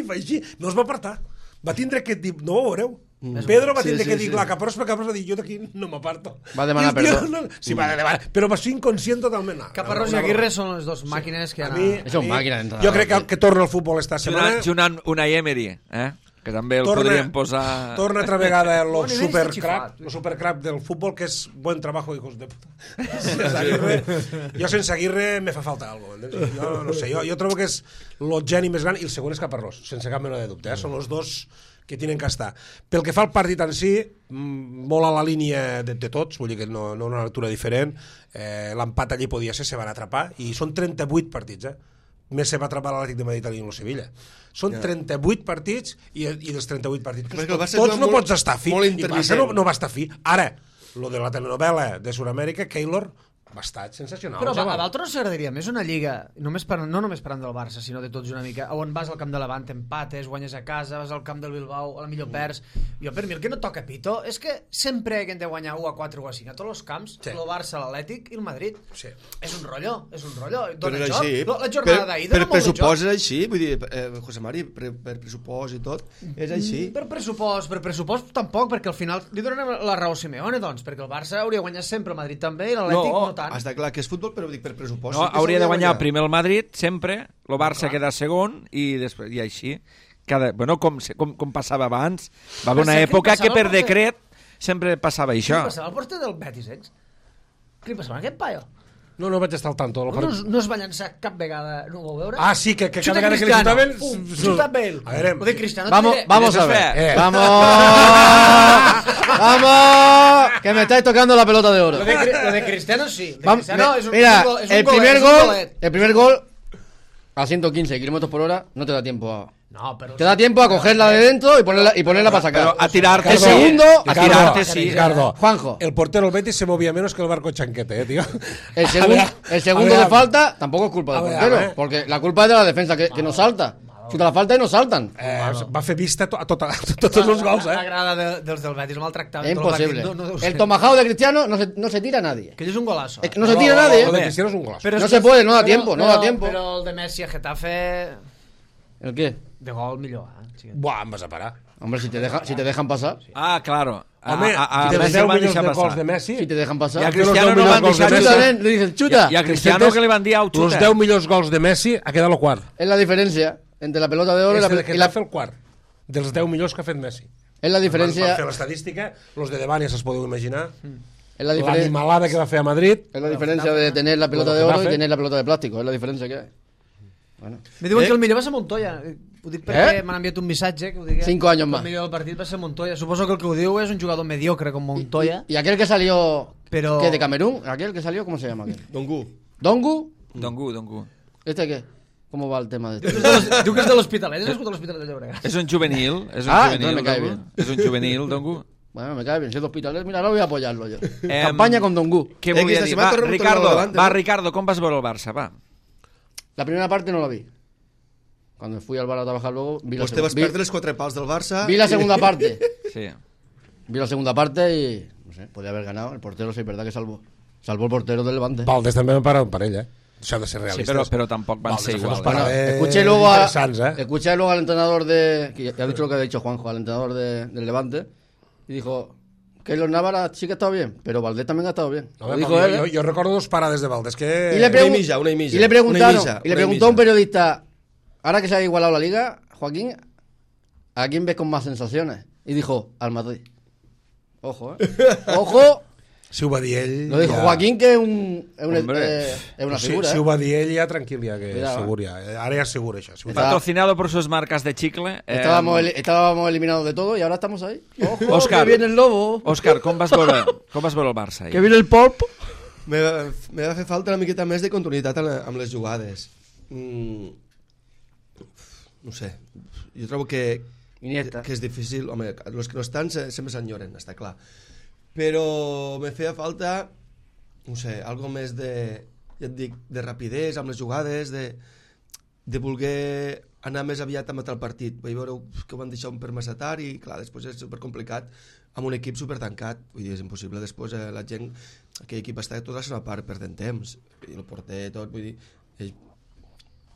fa així, no es va apartar, va tindre que dir, no ho veureu, Pedro va tindre que dir la Caparrós, perquè Caparrós va dir, jo d'aquí no m'aparto, va demanar perdó, sí, va demanar, però va ser inconscient totalment. Caparrós i Aguirre són les dos màquines que jo crec que torna al futbol esta setmana Junant Unai Emery, que també el podríem posar... Torna altra vegada el supercrack del futbol, que és buen trabajo, hijos de puta. Jo sense Aguirre me fa falta algo. Jo no sé, jo trobo que és el geni més gran, i el segon és Caparrós, sense cap mena de dubte. Són els dos que tenen que estar. Pel que fa al partit en si, molt a la línia de tots, vull dir que no una lectura diferent. L'empat allí podia ser, se van atrapar, i són 38 partits, més se va atrapar l'Atlètic de Madrid i el Sevilla. Són 38 partits i dels 38 partits tots no pots estar fi. I el Barça no va estar fi. Ara, lo de la telenovela de Sud-amèrica, Keylor va estar sensacional. Però a Valtro no s'agradaria més una lliga, no només parlant del Barça, sinó de tots una mica, on vas al camp de Levant, empates, guanyes a casa, vas al camp del Bilbao, a la millor perds. Jo, per mi, el que no toca pito és que sempre que hem de guanyar 1-4 o 5 a tots els camps, el Barça, l'Atlètic i el Madrid. És un rotllo. Dona joc. La jornada d'ahir dona molt de joc. Per pressupost és així, vull dir, José Mari, per pressupost i tot, és així. Per pressupost tampoc, perquè al final li donem la raó a Simeone, doncs, perquè el Barça hauria guanyat sempre, el Madrid també, i l'Atlètic no tant. Està clar que és futbol, però dic per pressupost. No, hauria de guanyar primer el Madrid, sempre, el Barça queda segon, i després, i així. Com passava abans, va haver una època que per decret sempre passava això. Què passava al porter del Betis, Què passava amb aquest paio? No vaig estar al tanto. No es va llançar cap vegada, no ho vau veure? Ah, sí, que cada vegada que li xutaven... Xuta amb ell. A veure... Lo de Cristiano... Vamos a ver. ¡Vamos! Que me estáis tocando la pelota de oro. Lo de Cristiano sí. Mira, el primer gol a 115 km por hora no te da tiempo a... No, pero... Te da tiempo a cogerla de dentro y ponerla para sacar. Pero a tirarte, el segundo... A tirarte, sí. Ricardo, Juanjo. El portero del Betis se movía menos que el barco chanquete, tío. El segundo de falta tampoco es culpa del portero, porque la culpa es de la defensa, que no salta. Xuta la falta i no salten. Va fer vista a tots els gols, L'agrada dels del Betis, maltractament. Es imposible. El tomahawk de Cristiano no se tira a nadie. Que es un golazo. No se tira a nadie. El de Cristiano es un golazo. No se puede, no da tiempo. Pero el de Messi a Getafe... ¿El qué? De gol millor, Buah, em vas a parar. Hombre, si te dejan pasar. Ah, claro. Home, si tens 10 milions de gols de Messi... Si te dejan pasar. I a Cristiano no van deixar le dicen xuta. I a Cristiano que li van dir au, xuta. Los 10 millors gols de Messi ha quedat el quart. Es la diferencia entre la pelota de oro i la... el quart. Dels 10 millors que ha fet Messi. Es la diferencia... Van fer l'estadística, los de davant ja se'ls podeu imaginar. Es la diferencia... L'animalada que va fer a Madrid. Es la diferencia de tener la pelota de oro y tener la pelota de plástico. Es la diferencia que hay. Bueno. Me diuen que el millor va ser Montoya. Ho dic perquè m'han enviat un missatge que ho digui. 5 años más. El millor del partit va ser Montoya. Suposo que el que ho diu és un jugador mediocre com Montoya. ¿Y aquel que salió Pero... ¿qué, de Camerún? ¿Aquel que salió? ¿Cómo se llama aquel? Dongu. Dongu. ¿Este qué? ¿Cómo va el tema de esto? Diu que és de l'Hospitalet. És nascut a l'Hospitalet de Llobregat. És un juvenil. Entonces me cae bien. És un juvenil, Dongu. Bueno, me cae bien. Si es de Hospitalet, mira, ahora voy a apoyarlo yo. Campaña con Dongu. Què volia dir? Ricardo, com vas veure el Barça? Va. La primera parte no la vi. Cuando fui al bar a trabajar luego vi la Pues te vas perdre els 4 pals del Barça. Vi la segunda parte. Sí. Vi la segunda parte y no sé, podía haber ganado. El portero sí, es verdad que salvó el portero del Levante. Valdés també va parar per ell, Això ha de ser Sí, realista. però tampoc van ser igual. Bueno, escuché luego al entrenador que ya ha dicho lo que ha dicho Juanjo, al entrenador del Levante, y dijo que los Navarra sí que ha estado bien, pero Valdés también ha estado bien. No, dijo él. Yo recuerdo dos parades de Valdés que... Y le preguntó a un periodista, ahora que se ha igualado la liga, Joaquín, ¿a quién ves con más sensaciones? Y dijo, al Madrid. Ojo, Ojo. Si ho va dir ell... Lo dijo Joaquín, que es una figura. Si ho va dir ell, ja tranquil, ja que és segur, ja. Ara ja és segur, això. Patrocinado por sus marcas de chicle. Estábamos eliminados de todo y ahora estamos ahí. Ojo, Òscar, que viene el lobo. Òscar, com vas veure el Barça? Que viene el pop. Me va fer falta una miqueta més de continuïtat amb les jugades. No sé, jo trobo que és difícil. Home, els que no estan sempre s'enyoren, està clar. Però me feia falta, no sé, algo més de, ja et dic, de rapidesa amb les jugades, de voler anar més aviat a matar el partit. Vaig veure que ho van deixar un per massa tard i, clar, després és supercomplicat amb un equip supertancat. Vull dir, és impossible. Després la gent, aquell equip està tota la seva part perdent temps. I el porter, tot, vull dir, ells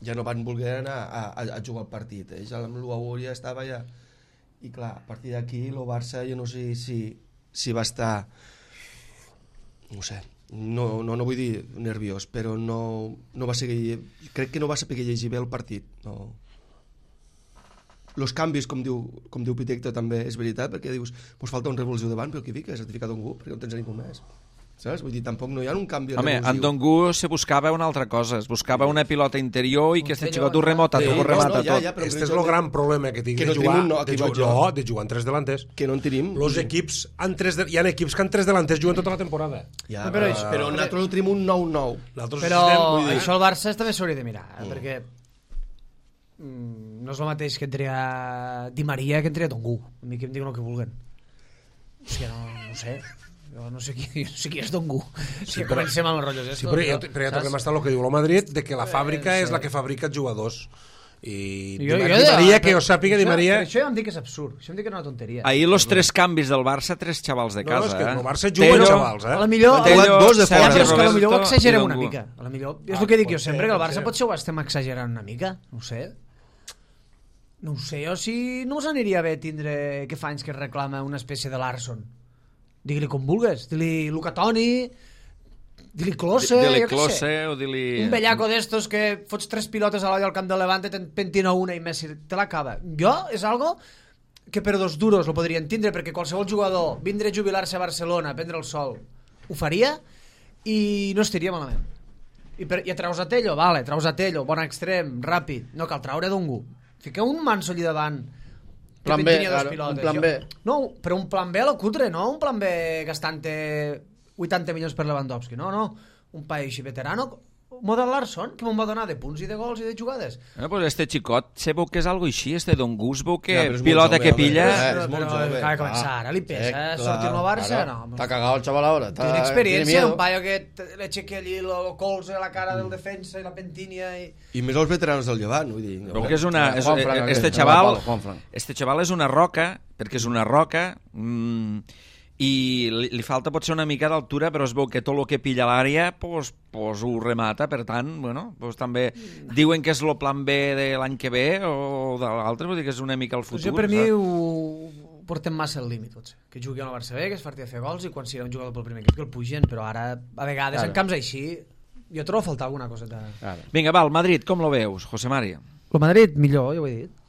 ja no van voler anar a jugar el partit. Ells amb l'1-1 ja estava ja... I, clar, a partir d'aquí, el Barça, jo no sé si va estar, no sé, no vull dir nerviós, però no va seguir, crec que no va saber llegir bé el partit. No. Els canvis, com diu Pitecto, també és veritat, perquè dius, pues falta un revulsiu davant, però qui fica? Certificat Dongu, perquè no tens a ningú més. Saps? Vull dir, tampoc no hi ha un canvi revulsiu. Home, en Dongu se buscava una altra cosa, es buscava una pilota interior i que este xicot ho remata tot. Este és el gran problema que tinc de jugar en tres delanters. Que no en tenim. Los equips hi ha equips que en tres delanters juguen tota la temporada. Ja, però nosaltres no tenim un 9-9. Però això el Barça també s'hauria de mirar, perquè no és el mateix que entria Di Maria que entria Dongu. A mi que em diuen el que vulguen. O sigui, no sé. Jo no sé qui és Dongu. Sí, però- comencem amb els rotllos. Sí, però ja tornem a estar el que diu el Madrid, de que la fàbrica és la que fabrica jugadors. I Di Maria, que jo sàpiga, Di Maria... Això ja em dic que és absurd. Això em dic que és una tonteria. Ahir los 3 canvis del Barça, 3 xavals de No, casa. és que el Barça Tello, juga amb xavals, A la millor... Tello, dos de Ja, fora. però és que a la millor ho Roberto exagerem i una Dongu. mica. A la millor... És el que dic jo pot sempre, ser, que el pot Barça ser. potser ho estem exagerant una mica. No ho sé. No ho sé, jo si no us aniria bé tindre que fa anys que reclama una espècie de Larson. Digue-li com vulgues. Dili Luca Toni, dili Klose, Dili jo què sé. Klose o dili... Un bellaco d'estos que fots 3 pilotes a l'olla al camp de Levante, te'n pentina una i Messi te l'acaba. Jo és algo que per 2 duros lo podria entendre, perquè qualsevol jugador vindre a jubilar-se a Barcelona, a prendre el sol, ho faria i no estaria malament. I treus a Tello, vale, treus a Tello, bon extrem, ràpid, no cal treure Dongu. Fiqueu un manso allà davant que Plan B, pentina 2 claro, pilotes. un plan Jo- B. No, però un plan B a lo cutre, no un plan B gastant-te 80 milions per Lewandowski, no. Un paio així veterano, model Larson, que me'n va donar de punts i de gols i de jugades. Pues este xicot se veu que és algo així, este Dongu es veu que Ja, però és molt pilota jove, que home. pilla... És molt jove. Acaba de començar, ara li pesa Claro, sortir-lo a Barça, claro. no. Está cagado el chaval ahora. Tiene Tiene experiencia, miedo. un paio que le aixequi allí el colze a la cara del defensa i la pentínia i... I més els veteranos del Llevant, vull dir. Veu que és una... És, Juanfran, este aquest, xaval... el Juanfran. Este xaval és una roca, perquè és una roca... I li falta potser una mica d'altura, però es veu que tot el que pilla a l'àrea pues ho remata, per tant, bueno, pues també diuen que és el plan B de l'any que ve o de l'altre, vull dir que és una mica el futur. Jo per mi saps? ho portem massa al límit, potser. Que jugui al Barça B, que es farti a fer gols i quan sigui un jugador pel primer equip que el pugen, però ara, a vegades, Claro. en camps així, jo trobo a faltar alguna coseta. Claro. Vinga, va, el Madrid, com lo veus, José María? El Madrid, millor, ja ho he dit.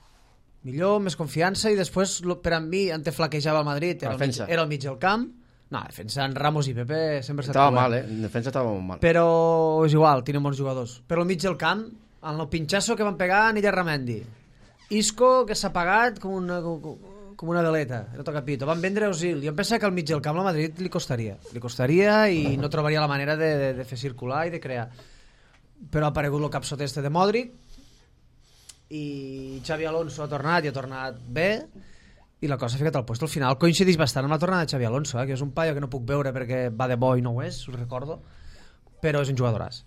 Millor, més confiança, i després, per a mi, on te flaquejava el Madrid, era Defensa. era al mig del camp. No, defensa en Ramos i Pepe sempre s'ha Estaba mal, En defensa estaba muy mal. Però és igual, tenen bons jugadors. Però al mig del camp, en el pinxasso que van pegar Nilla Ramendi. Isco, que s'ha pagat com una veleta, no toca pito. Van vendre Osil. Jo em penso que al mig del camp al Madrid li costaria. Li costaria i no trobaria la manera de fer circular i de crear. Però ha aparegut el capsot este de Modric i Xavi Alonso ha tornat i ha tornat bé i la cosa ha ficat al puesto. Al final coincideix bastant amb la tornada de Xavi Alonso, que és un paio que no puc veure perquè va de bo i no ho és, us recordo, però és un jugadoràs.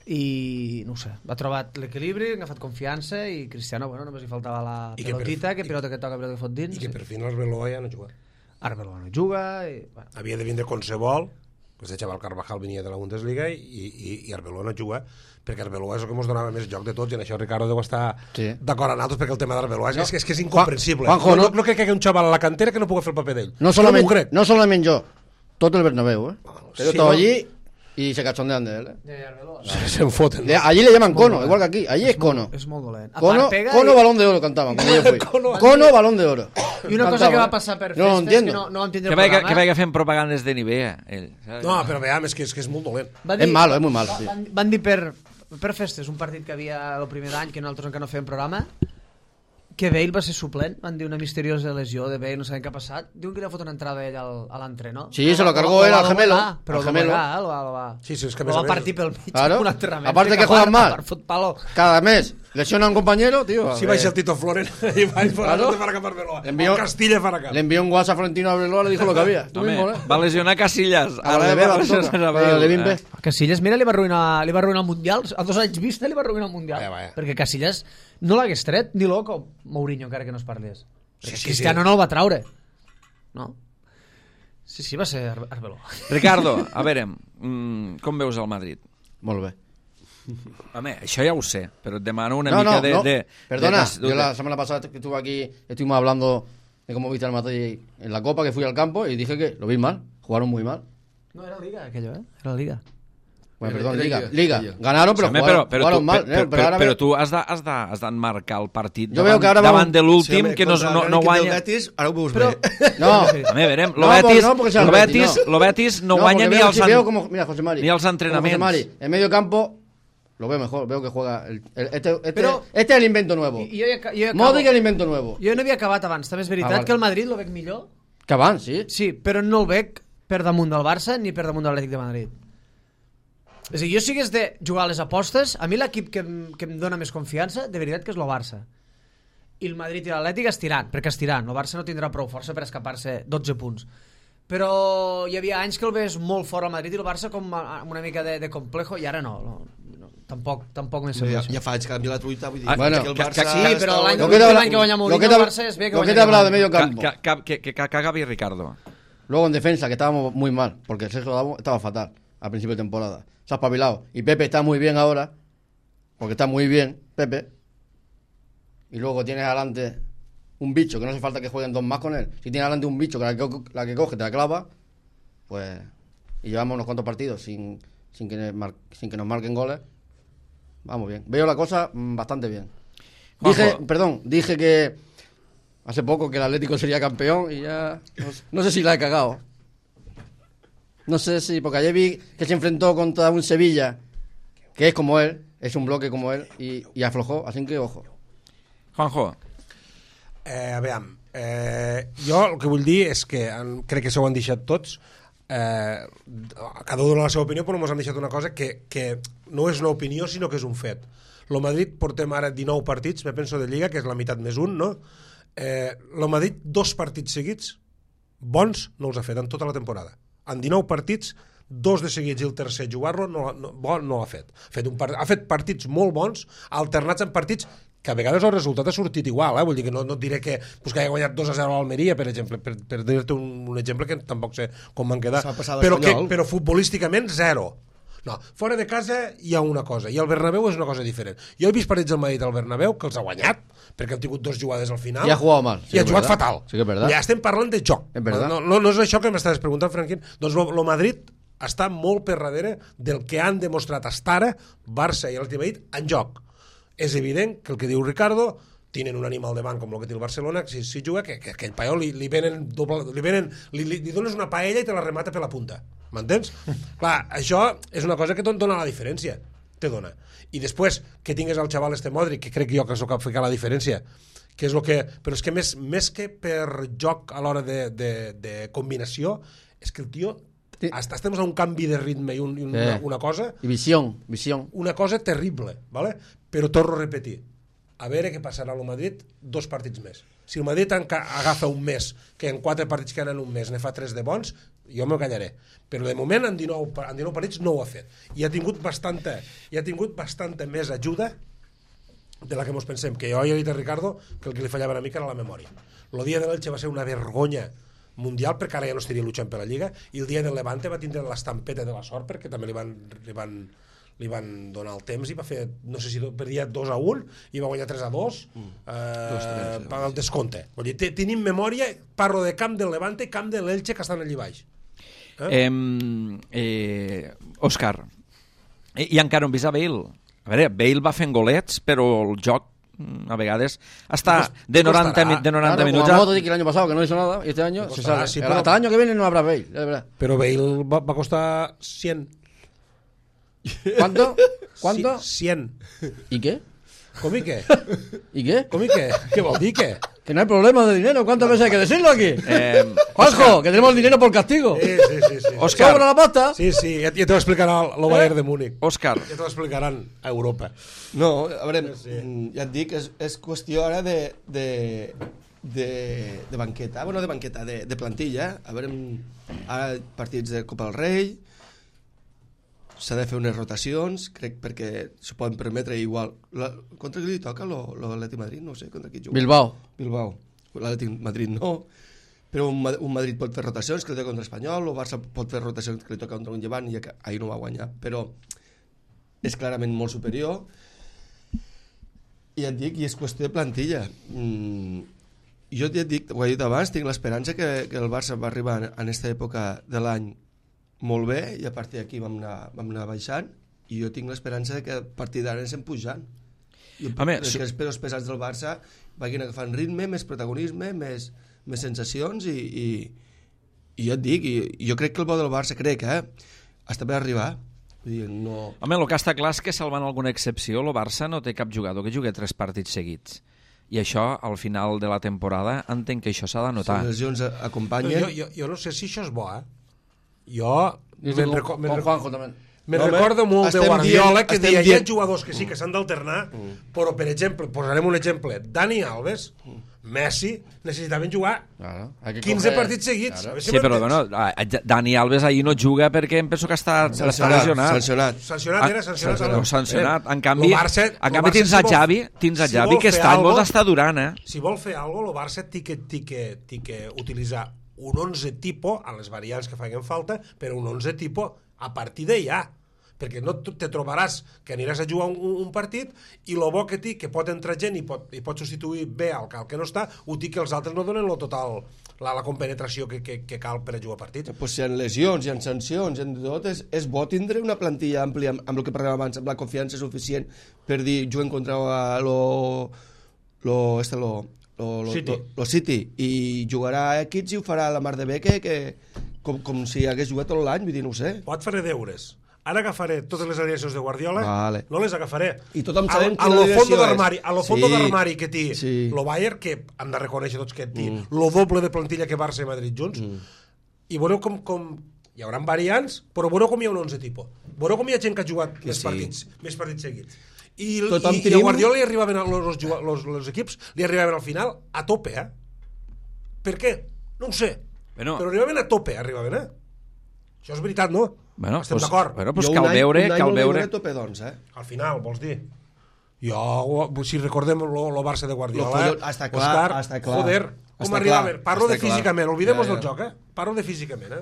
I no ho sé, ha trobat l'equilibri, ha agafat confiança i Cristiano, bueno, només li faltava la I que per pelotita, fi- que pilota que toca, pilota que fot dins. I que per fi l'Arbeloa ja no juga. Arbeloa no juga i, bueno, Havia de vindre Consebol, que este xaval Carvajal venia de la Bundesliga, i Arbeloa no juga, perquè Arbeloa és el que ens donava més joc de tots, i en això Ricardo deu estar Sí. d'acord amb nosaltres, perquè el tema d'Arbeloa és que és incomprensible. Juanjo, no, no- no crec que hi hagi un xaval a la cantera que no pugui fer el paper d'ell. No m'ho solamente, crec. no solamente yo, todo el Bernabéu, Yo sí, estaba ¿no? allí y se cachondean de él, Se'n foten. Allí le llaman cono, igual que aquí. Allí es cono. és molt dolent. A Cono, part, pega cono i- balón de oro cantaban cuando yo fui. Cono, balón de oro. I una cosa Cantaban, que va passar per Yo no lo festes, que entiendo. no vam tindre Que el vaya, programa, que vaya fent propagandes de Nivea, ell. saps? No, però veiem, és que és molt dolent. va Es malo, es muy malo. Sí. Van dir per festes, un partit que havia el primer d'any, que nosaltres encara no fèiem programa, que Bale va ser suplent, van dir una misteriosa lesió de Bale, no sabem què ha passat. Diuen que li ha fot una entrada ell a l'entrenor. Sí, se lo cargó él al gemelo, Però al el gemelo. va Sí, sí, és que a lo més a va més- partir pel mig. Claro. com un enterrament. Aparte que juegan mal. Fot palo. Cada mes lesiona a un compañero, tío. Si baixa el Tito Floren, i vaig Claro. de farà cap Arbeloa. Le envió- O Castilla farà cap. Le envió un WhatsApp a Florentino Arbeloa, le dijo lo que había. Tú Home, mismo, va lesionar Casillas. A la de Bale, a la de Bimbe. Casillas, mira, li va arruïnar el Mundial. A 2 anys vista li va arruïnar el Mundial. Vaya. Perquè Casillas no l'hagués tret, ni loco, Mourinho, encara que no es parlés. Sí, sí, Cristiano sí. no el va traure. No? Sí, va ser Arbeloa. Ricardo, a veure, com veus el Madrid? Molt bé. Home, això ja ho sé, però et demano una No, mica no, de... no. de Perdona, de- yo la semana pasada que estuve aquí, estuvimos hablando de cómo viste al Madrid en la Copa, que fui al campo y dije que lo vi mal, jugaron muy mal. No, era Liga aquello, Era Liga. Bueno, Era- perdón, era Liga. Liga. Liga. Ganaron, pero Home, jugaron mal. però tu has d'emmarcar el partit Jo veu que ara davant vam- de l'últim, que no guanya... Betis, ara ho veus Però... bé. No, Home, verem, No, porque sea el Betis, no. lo Betis no guanya porque ni als... veo como, mira, José Mari, ni als como entrenamientos. José Mari, en medio campo lo veo mejor, veo que juega Pero- este es el invento nuevo. Jo acabo. Modric el invento nuevo. Jo no havia acabat abans, també és veritat vale. que el Madrid lo veig millor. Que van, sí. Sí, però no el veig per damunt del Barça ni per damunt de l'Atlètic de Madrid. És a dir, jo si hagués de jugar a les apostes, a mi l'equip que em dona més confiança, de veritat que és el Barça. I el Madrid i l'Atlètic estiran, perquè estiran. El Barça no tindrà prou força per escapar-se 12 punts. Però hi havia anys que el ves molt fort al Madrid i el Barça com amb una mica de complejo, i ara no. Tampoc m'he sabut. Ja fa anys que canvia la truita, vull dir... Bueno, que el Barça sí, però l'any que guanya Mourinho el Barça es ve que lo que guanya te he hablado de medio campo. Que Gavi Ricardo. Luego en defensa, que estábamos muy mal, porque Sergio Ramos estaba fatal al principio de temporada. Se ha espabilado. Y Pepe está muy bien ahora, porque está muy bien, Pepe. Y luego tienes adelante un bicho, que no hace falta que jueguen dos más con él. Si tienes adelante un bicho que la que coge te la clava, pues... Y llevamos unos cuantos partidos sin que nos marquen goles. Vamos bien. Veo la cosa bastante bien. Dije que hace poco que el Atlético sería campeón y ya... No sé si la he cagado. No sé si... Porque ayer vi que se enfrentó contra un Sevilla, que es como él, es un bloque como él, y aflojó, así que ojo. Juanjo. Aviam, jo el que vull dir és que crec que s'ho han deixat tots, cada un dona la seva opinió, però ens han deixat una cosa que no és una opinió sinó que és un fet. El Madrid portem ara 19 partits, me penso, de Lliga, que és la meitat més un, no? El Madrid 2 partits seguits bons no els ha fet en tota la temporada. En 19 partits, 2 de seguits i el tercer jugar-lo no l'ha fet. Ha fet partits molt bons, alternats en partits que a vegades el resultat ha sortit igual, vull dir que no et diré que hagi guanyat 2-0 a l'Almeria, per exemple, per dir-te un exemple que tampoc sé com van quedar, però futbolísticament 0. No, fora de casa hi ha una cosa, i el Bernabéu és una cosa diferent. Jo he vist partits del Madrid al Bernabéu que els ha guanyat, perquè han tingut 2 jugades al final, i ha jugat mal, i ha jugat fatal. Sí que és verdad. Ja estem parlant de joc. No és això que m'estaves preguntant, Franquín. Doncs el Madrid està molt per darrere del que han demostrat hasta ara Barça i l'Atlètic Madrid en joc. És evident que el que diu Ricardo, tenen un animal de banc com el que té el Barcelona, que si juga, que aquell paio li dones una paella i te la remata per la punta, m'entens? Clar, això és una cosa que dona la diferència, te dona. I després que tingues el xaval Modric, que crec jo que és el que fica la diferència, que és el que... Però és que més que per joc a l'hora de combinació, és que el tio... Estem a un canvi de ritme i una cosa... I visió. Una cosa terrible, ¿vale? Però torno a repetir, a veure què passarà al Madrid 2 partits més. Si el Madrid agafa un mes, que en 4 partits que han en un mes ne fa 3 de bons, jo m'ho callaré. Però de moment en 19 partits no ho ha fet. I ha tingut bastanta més ajuda de la que ens pensem. Que jo he dit a Ricardo que el que li fallava una mica era la memòria. El dia de l'Elche va ser una vergonya mundial, perquè ara ja no estaria luchant per la Lliga, i el dia del Levante va tindre l'estampeta de la sort, perquè també li van donar el temps i va fer, no sé si perdia 2-1 i va guanyar 3-2 el descompte. Vull dir, tenim memòria, parlo de camp del Levante i camp de l'Elche que estan allà baix. Òscar, i encara un vist a Bale. A veure, Bale va fent golets, però el joc a vegades hasta de 90 minutos. Como Modric el año pasado que no hizo nada y este año se sale. Sí, hasta el año que viene no habrá Bale, de verdad. Pero Bale va a costar 100. ¿Cuánto? 100. ¿Y qué? ¿Com i què? ¿Y qué? ¿Com i què? Què vol dir què? Que no hay problema de dinero. ¿Cuántas veces hay que decirlo aquí? Juanjo, que tenemos el dinero por castigo. Sí. Òscar. ¿Sobra la pasta? Sí, ja te ho explicarà el Bayern de Múnich. Òscar. Ja t'ho explicaran a Europa. No, a veure, ja et dic, és qüestió ara de banqueta. Bueno, de banqueta, de plantilla. A veure, ara partits de Copa del Rei, s'ha de fer unes rotacions, crec, perquè s'ho poden permetre igual. Contra qui li toca l'Atlètic Madrid? No sé, contra qui juga. Bilbao. L'Atlètic Madrid no, però un Madrid pot fer rotacions que li toca contra Espanyol, o Barça pot fer rotacions que li toca contra un Llevant i ahir no va guanyar, però és clarament molt superior. I et dic, i és qüestió de plantilla. Jo ja et dic, ho he dit abans, tinc l'esperança que el Barça va arribar en aquesta època de l'any molt bé, i a partir d'aquí vam anar baixant, i jo tinc l'esperança que a partir d'ara anem pujant. Que els pesos pesats del Barça vagin agafant ritme, més protagonisme, més sensacions, i jo et dic, i jo crec que el bo del Barça està per arribar. No... Home, el que està clar és que, salvant alguna excepció, el Barça no té cap jugador que jugui 3 partits seguits. I això, al final de la temporada, entenc que això s'ha de notar. Si les lesions acompanyen... Jo no sé si això és bo, Jo con Juanjo también. Me No, home, recordo molt de estem Guardiola dient- que estem deia hi ha dient- jugadors que sí que s'han d'alternar, però, per exemple, posarem un exemple, Dani Alves, Messi, necessitaven jugar Claro, hay que 15 coger- partits seguits. Claro. A veure si Sí, però m'entens. bueno, Dani Alves ahir no juga perquè em penso que està lesionat. Sancionat. Sancionat era, sancionat. Sancionat. En canvi, Lo Barça- en lo canvi Barça, tens si a vol- Xavi, si vol que fer està algo- molt està durant, Si vol fer alguna cosa, el Barça té que utilitzar un 11 tipus, a les variants que facin falta, però un 11 tipus a partir de ja. Perquè no te trobaràs que aniràs a jugar un partit i el bo que té, que pot entrar gent i pot substituir bé el que no està, ho té que els altres no donen lo total, la compenetració que cal per a jugar partits. Pues si hi ha lesions, hi ha sancions, hi ha tot, és bo tindre una plantilla àmplia amb el que parlàvem abans, amb la confiança suficient per dir, juguem contra lo City i jugarà X i ho farà la mar de bé que com si hagués jugat tot l'any, vull dir, no ho sé. Pot fer deures. Ara agafaré totes les aliacions de Guardiola, Vale. no les agafaré. I tothom sabem a quina lo aliació fondo és. d'armari, a lo fondo Sí. d'armari que té Sí. lo Bayern, que hem de reconèixer tots que té lo doble de plantilla que Barça i Madrid junts, i veureu com hi haurà variants, però veureu com hi ha un 11 tipus. Veureu com hi ha gent que ha jugat més partits seguits. I a Guardiola li arribaven els equips li arribaven al final a tope, eh? Per què? No ho sé. Bueno. Però arribaven a tope, Això és veritat, no? Bueno, Estem d'acord. Bueno, pues Jo cal un any veure... no l'he veure a tope, doncs, Al final, vols dir? Si recordem lo Barça de Guardiola, està clar, Òscar, està clar. joder, com Està arribaven? clar, Parlo de està clar. físicament, olvidemos Ja, del ja. joc, Parlo de físicament,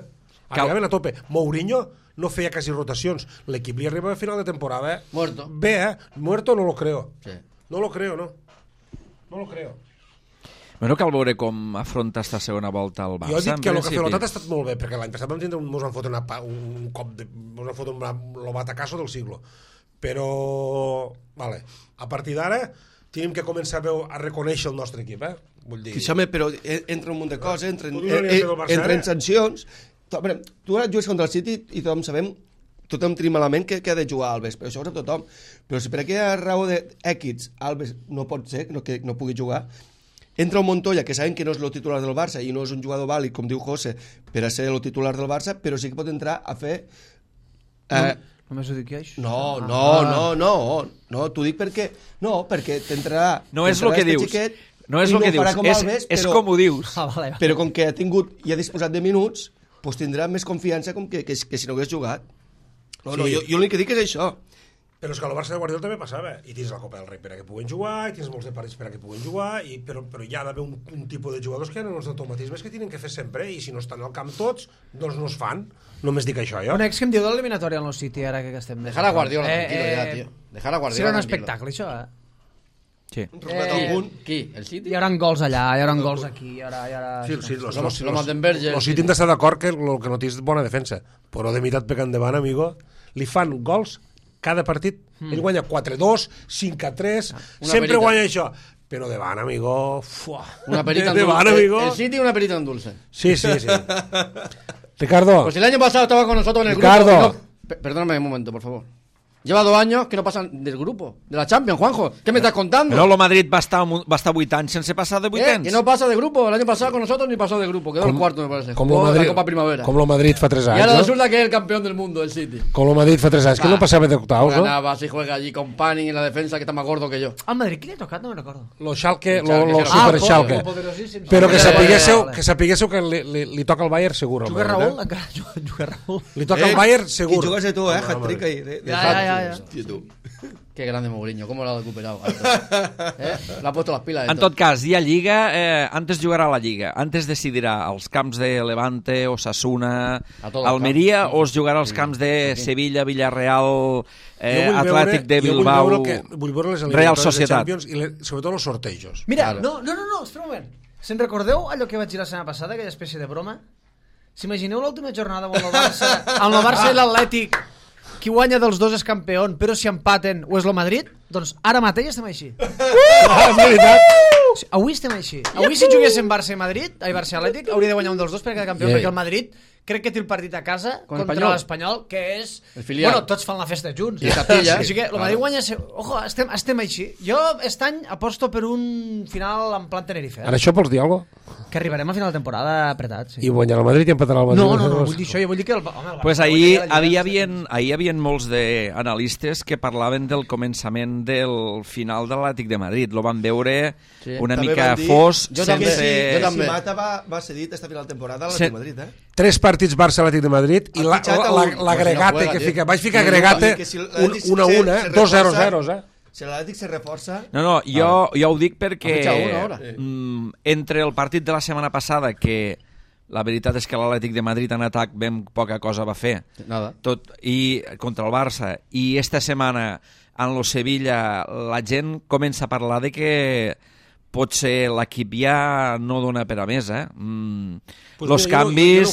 Arribaven a tope. Mourinho no feia quasi rotacions. L'equip li arribava a final de temporada, Muerto. Bé, muerto no lo creo. Sí. No lo creo, no. No lo creo. Bueno, cal veure com afronta esta segona volta el Barça. Jo he dit en que el principi. Cafelotat ha estat molt bé, perquè l'any passat vam tindre mos van fotre un cop de... mos van fotre un batacasso del siglo. Però, vale, a partir d'ara tenim que començar a reconèixer el nostre equip, Vull dir... Home, però entra un munt de coses, entren Barça, sancions. Tu ara jugues contra el City i tothom tenim malament que ha de jugar Alves, però això ho sap tothom. Però si per aquella raó d'èquits Alves no pot ser, que no pugui jugar, entra un Montoya, que sabem que no és el titular del Barça i no és un jugador vàlid, com diu José, per a ser el titular del Barça, però sí que pot entrar a fer... Només ho dic jo, això? No, t'ho dic perquè... No, perquè t'entrarà... No és el que dius. No és el que dius, és com ho dius. Vale. Però com que ha tingut i ha disposat de minuts, doncs tindrà més confiança com que si no hagués jugat. No, jo l'únic que dic és això. Però és que al Barça de Guardiola també passava. I tens la Copa del Rei per a que puguen jugar, i tens molts de partits per a que puguen jugar, però hi ha d'haver un tipus de jugadors que han els automatismes que tenen que fer sempre, i si no estan al camp tots, doncs no es fan. Només dic això, jo. Un ex que em diu de l'eliminatòria al Nou City, ara que estem... Dejar a Guardiola tranquilo ya, tío. Dejar a Guardiola Serà un tranquilo. espectacle, això, Sí. Qui? El City? Hi haurà gols allà, hi haurà gols aquí, hi haurà... Sí, Lo Mattenberger. Los City han d'estar d'acord que el que no tens bona defensa, però de meitat pecant endavant, amigo, li fan gols cada partit. Ell guanya 4-2, 5-3, sempre perita. guanya això. Però davant, amigo... Fuà. Una perita en davant, dulce. amigo. El City una perita en dulce. Sí. Ricardo, Pues el año pasado estaba con nosotros en el Ricardo. grupo. Perdóname un momento, por favor. Lleva 2 años que no pasan del grupo, de la Champions, Juanjo. ¿Qué me estás contando? Però el Madrid va estar 8 anys sense passar de 8 anys. Que no pasa de grupo. El año pasado con nosotros ni pasó de grupo. Quedó el cuarto, me parece. com Jugó lo Madrid, la Copa Primavera. com lo Madrid fa 3 Y anys, ahora no? resulta que es el campeón del mundo, el City. Com lo Madrid fa 3 anys, que no passava d'octaus, no? Ganaba, si juega allí con Panning en la defensa, que está más gordo que yo. Al Madrid, qui li ha tocat? No me'n recordo. Lo Schalke, El Schalke, lo sí, Super el Schalke. poderosíssim. Però que Vale. sapiguéssiu que li toca al Bayern segur. Juga Raúl? Encara juga Raúl. Li toca al Bayern segur. Qui jugues tu, hat-trick ahí. Ja. Hòstia, tu. Qué grande Mourinho, cómo lo ha recuperado. Le ha puesto las pilas. En tot cas, hi ha Lliga, antes jugarà la Lliga, antes decidirà als camps de Levante, Osasuna, A tot el Almeria, camp. o es jugarà als camps de Sevilla, Villarreal, Jo vull Atlètic de jo Bilbao, vull veure les Real eliminatòries de Societat. Champions i sobretot els sortejos. Mira, Claro. no, espera un moment. Se'n recordeu allò que vaig dir la setmana passada, aquella espècie de broma? S'imagineu l'última jornada amb el Barça i l'Atlètic, qui guanya dels dos és campió, però si empaten o és el Madrid, doncs ara mateix estem així. És veritat. Avui estem així. Avui si juguéssim Barça i Madrid, Barça i Atlètic, hauria de guanyar un dels dos per quedar campió, perquè el Madrid crec que té el partit a casa Con contra Espanyol. l'Espanyol, que és... El filial. Bueno, tots fan la festa junts. I Capilla. Així que el Madrid guanya... Ojo, estem així. Jo aquest any aposto per un final en plan Tenerife. Ara això vols dir alguna cosa? Que arribarem a final de temporada apretats. Sí. I guanyarà el Madrid i empatarà el Madrid. No, vull dir això, jo vull dir que Pues ahir hi havia molts d'analistes que parlaven del començament del final de l'Atlètic de Madrid. Lo van veure una També mica van dir- fos, Jo també, sense... jo també. Si Mata va cedit esta final de temporada a l'Atlètic de Madrid, 3 partits Barça-Atlètic de Madrid i Ha fitxat a un- l'agregate que fica. Vaig ficar agregate que si l'Atlètic 1-1, se 2-0-0, Si l'Atlètic se reforça... No, jo ho dic perquè Ha fitxat una hora. entre el partit de la setmana passada, que la veritat és que l'Atlètic de Madrid en atac ben poca cosa va fer, Nada. i contra el Barça, i esta setmana en lo Sevilla la gent comença a parlar de que potser l'equip ja no dona per a més, los canvis...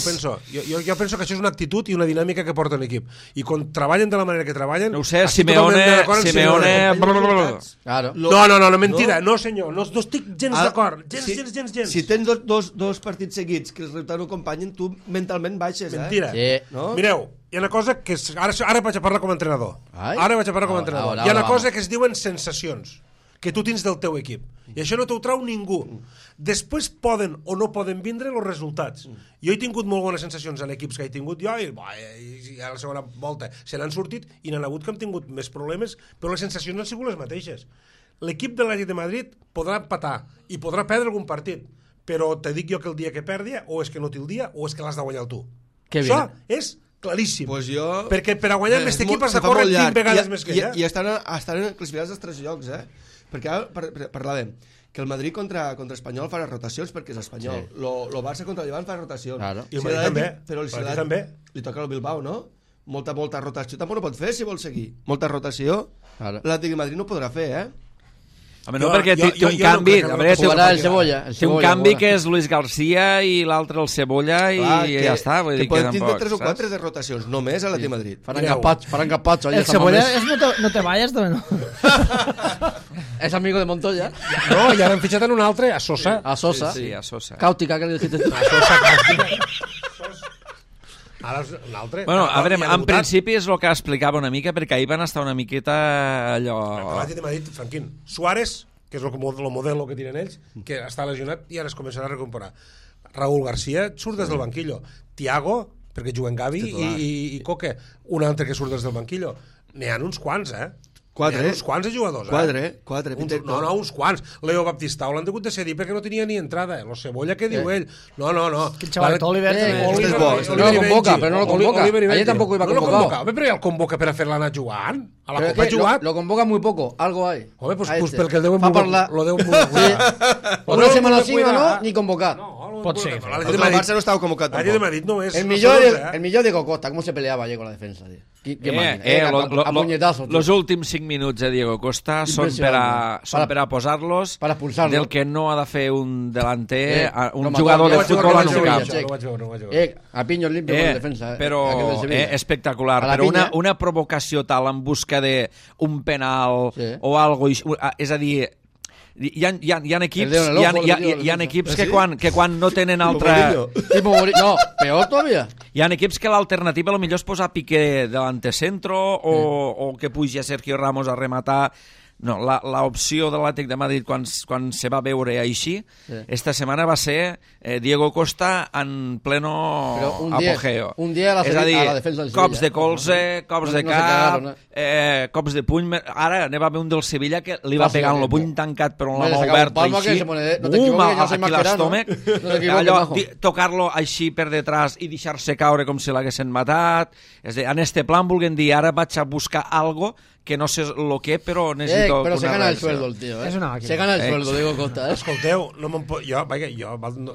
Jo penso que això és una actitud i una dinàmica que porta l'equip. I quan treballen de la manera que treballen... No ho sé, estic Simeone... totalment d'acord amb Simeone... Claro. No, mentida, no senyor, no estic gens d'acord, gens. Si tens dos partits seguits que els resultats no acompanyen, tu mentalment baixes, Mentira. Sí. No? Mireu, hi ha una cosa que... Ara vaig a parlar com a entrenador. Ai. Ara vaig a parlar com a entrenador. Ahora, Hi ha una vamos. cosa que es diuen sensacions que tu tens del teu equip. I això no t'ho trau ningú. Després poden o no poden vindre els resultats. Jo he tingut molt bones sensacions en equips que he tingut jo i a la segona volta se n'han sortit i n'han hagut que han tingut més problemes, però les sensacions no han sigut les mateixes. L'equip de l'Atlètic de Madrid podrà empatar i podrà perdre algun partit, però te dic jo que el dia que perdi o és que no té el dia o és que l'has de guanyar tu. Que Això bien. és claríssim. Pues jo... Perquè per a guanyar aquest equip has de córrer 20 vegades més que ella. I estan classificats als 3 llocs, Perquè ara parlàvem que el Madrid contra Espanyol farà rotacions perquè és espanyol. Sí. Lo Barça contra el Llevant farà rotacions. Claro. I el Madrid també. Però El Madrid també. li toca al Bilbao, no? Molta rotació. Tampoc no pot fer si vol seguir. Molta rotació. Claro. L'Atlètic de Madrid no podrà fer, Home, no, perquè té un no canvi... crec que A veure, Jugarà el Cebolla. té un canvi que és Luis García i l'altre el Cebolla i ja està. Vull dir que poden tindre tampoc, 3 o saps? 4 de rotacions, només a l'Atlètic de Madrid. Faran capatxo. El Cebolla és no te vayas, no. Es amigo de Montoya. No, i ara han fitxat en un altre, a Sosa. A Sosa. Sí, a Sosa. Cáutica, que le dijiste tú. Ara és un altre. Bueno, a veure, I ha en debutat. principi és el que explicava una mica, perquè ahir van estar una miqueta allò... L'Atlètic de Madrid, Franquín. Suárez, que és el modelo que tiren ells, que està lesionat i ara es començarà a recuperar. Raúl García surt des del banquillo. Thiago, perquè juguen Gavi i Coque, un altre que surt des del banquillo. N'hi ha uns quants, 4, N'hi ha uns quants de jugadors, 4. No, uns quants. Leo Baptistao l'han hagut de cedir perquè no tenia ni entrada. Lo Cebolla, què diu ell? No. Que el xaval Oliver també. este és bo, este no lo convoca, però no lo convoca. Ayer tampoco iba No lo convocado. convoca. Home, però ja el convoca per a fer-la anar jugant. A la Pero Copa ha es que jugat. lo convoca muy poco, algo hay. Home, pues, A pues este. perquè el deuen Va parlar. lo deuen cuidar. Una semana sí, una no, ni convocar. Pot ser. L'Atlètic El Barça no estava convocat L'Atlètic de tampoc. Madrid no és... El no millor, són 11, el millor Diego Costa, cómo se peleaba ayer con la defensa, tío. Qué máquina. A puñetazos, tío. Los últims 5 minuts de Diego Costa són per a posar-los para expulsarlo. del que no ha de fer un delanter, un no, jugador de no, futbol no, en no, un no, camp. No vaig veure. A piños limpio con defensa. Però aquel del Sevilla. espectacular. A la Però pinya. una provocació tal en busca d'un penal Sí. o algo, és a dir, hi ha equips, El dedo en el ojo, hi ha equips ¿Sí? que quan no tenen altra... Tipo no, peor todavía. Hi ha equips que l'alternativa potser és posar Piqué delante centro o que pugi a Sergio Ramos a rematar. No, l'opció de l'Atlètic de Madrid quan se va veure així, esta setmana va ser Diego Costa en pleno apogeo. Un dia a la defensa del Sevilla. Cops de colze, cops de No se cap, cagaron, cops de puny. Ara n'hi va haver un del Sevilla que li va pegar amb el puny tancat però amb la mà Le sacaba un oberta palmo que així. se pone no te equivoques, yo soy Aquí mascherano. l'estómac. No te equivoques, Allò, majo. tocar-lo així per detrás i deixar-se caure com si l'haguessin matat. És a dir, en este plan vulguem dir, ara vaig a buscar algo que no sé lo que, però necessito Pero se una gana el reacció. sueldo el tío, Es una máquina. Se gana el sueldo, Diego Costa, Escolteu, no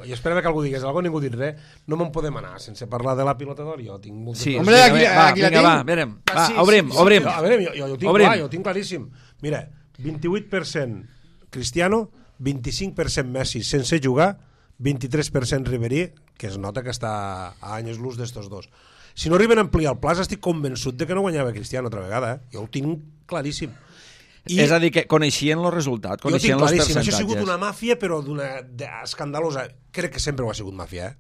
jo esperava que algú digués alguna cosa, ningú dit res. No me'n podem anar sense parlar de la pilota d'or. Jo tinc molt Sí, Hombre, aquí la vinga, tinc. va, verem. Va, Sí, obrim. A veure, jo ho tinc Obrim. clar, jo ho tinc claríssim. Mira, 28% Cristiano, 25% Messi sense jugar, 23% Ribéry, que es nota que està a anys luz d'estos dos. Si no arriben a ampliar el pla, estic convençut de que no guanyava Cristiano altra vegada. Jo ho tinc claríssim. És a dir, que coneixien el resultat, Jo ho tinc coneixien els claríssim. percentatges. Això ha sigut una màfia, però escandalosa. Crec que sempre ho ha sigut màfia,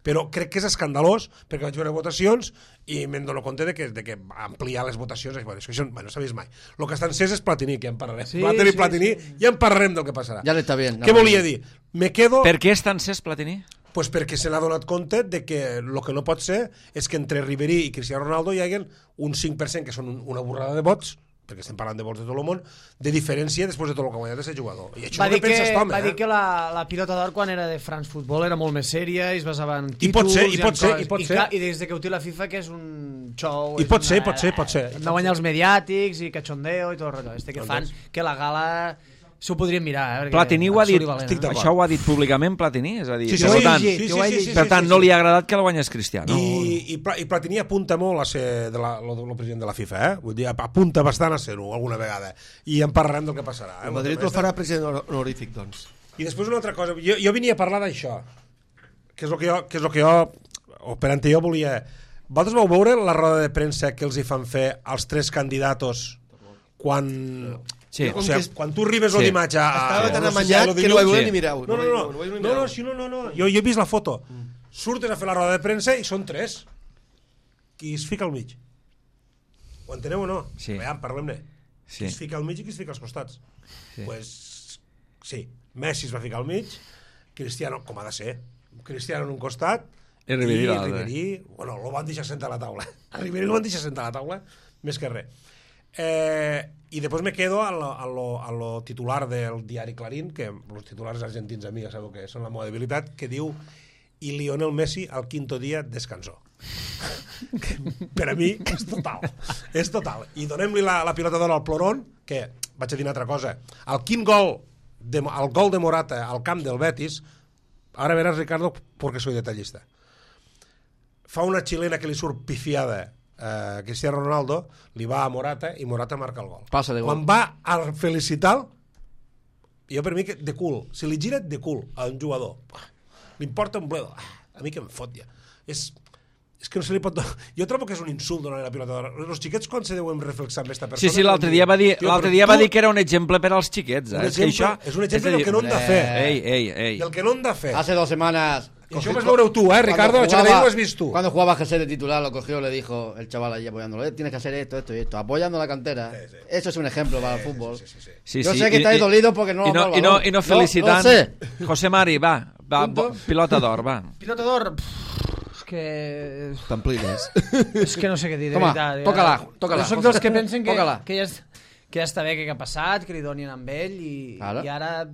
però crec que és escandalós perquè vaig veure votacions i me'n dono compte de que ampliar les votacions això no s'ha vist mai. El que està encès és Platini, que ja en parlarem. Platini, ja en parlarem del que passarà. Ja l'està bien. Què volia dir? Me quedo... Per què està encès Platini? Pues perquè se n'ha donat compte de que el que no pot ser és que entre Ribery i Cristiano Ronaldo hi hagi un 5% que són una borrada de vots, perquè estem parlant de vots de tot el món, de diferència després de tot el que ha guanyat aquest jugador. I això no pensa Tom, va dir que la pilota d'or quan era de France Football era molt més sèria i es basava en títols... I pot ser. I des de que ho té la FIFA que és un show... I pot ser. De guanyar els mediàtics i cachondeo i tot el rotllo. Que fan que la gala... S'ho podríem mirar, Platini ho ha dit, això ho ha dit públicament Platini, és a dir, per tant no li ha agradat que la guanyés Cristiano. I Platini apunta molt a ser el president de la FIFA, vull dir, apunta bastant a ser-ho alguna vegada, i en parlarem del que passarà. El Madrid el farà president honorífic, doncs. I després una altra cosa, jo venia a parlar d'això, que és el que jo, operant jo volia... Vosaltres vau veure la roda de premsa que els hi fan fer als 3 candidatos quan... Sí. O sigui, quan tu arribes l'imatge estava tan amanyat que no vaig veure ni mirar-ho. No, jo he vist la foto. Surten a fer la roda de premsa i són 3. Qui es fica al mig? Ho enteneu o no? Sí. Veiem, parlem-ne. Qui es fica al mig i qui es fica als costats? Pues sí, Messi es va ficar al mig, Cristiano, com ha de ser, Cristiano en un costat i Ribery, bueno, lo van deixar sentar a la taula. A Ribery lo van deixar sentar a la taula, més que res. I després me quedo a lo titular del diari Clarín, que els titulars argentins a mi ja sabeu que són la meva debilitat, que diu i Lionel Messi al quinto dia descansó. Per a mi és total. I donem-li la pilota d'or al Ploron, que vaig a dir una altra cosa, el quin gol el gol de Morata al camp del Betis, ara veràs, Ricardo, perquè soy detallista, fa una xilena que li surt pifiada Cristiano Ronaldo, li va a Morata i Morata marca el gol. Passa de gol. Quan va a felicitar, jo per mi que de cul, si li gira de cul a un jugador, li importa un bledo, a mi que em fot ja. És que no se li pot... Jo trobo que és un insult donar la pilota d'or. Els xiquets quan se deuen reflexar amb aquesta persona... Sí, l'altre dia va dir que era un exemple per als xiquets. És un exemple del que no hem de fer. Ei. Del que no hem de fer. Hace 2 semanas... Y eso vas veure tú, Ricardo, lo has visto tú. Cuando jugaba José de titular, lo cogió, le dijo el chaval ahí apoyándolo, tienes que hacer esto y esto, apoyando la cantera. Sí. Eso es un ejemplo para el fútbol. Sí. Yo sé que estáis dolidos porque no y no felicitant. No sé. José Mari, va, pilota d'or, va. Pilota d'or... que... T'emplines. És que no sé què dir, de Toma, veritat. toca-la. Jo soc dels que pensen que ja està bé que ha passat, que li donin amb ell i ara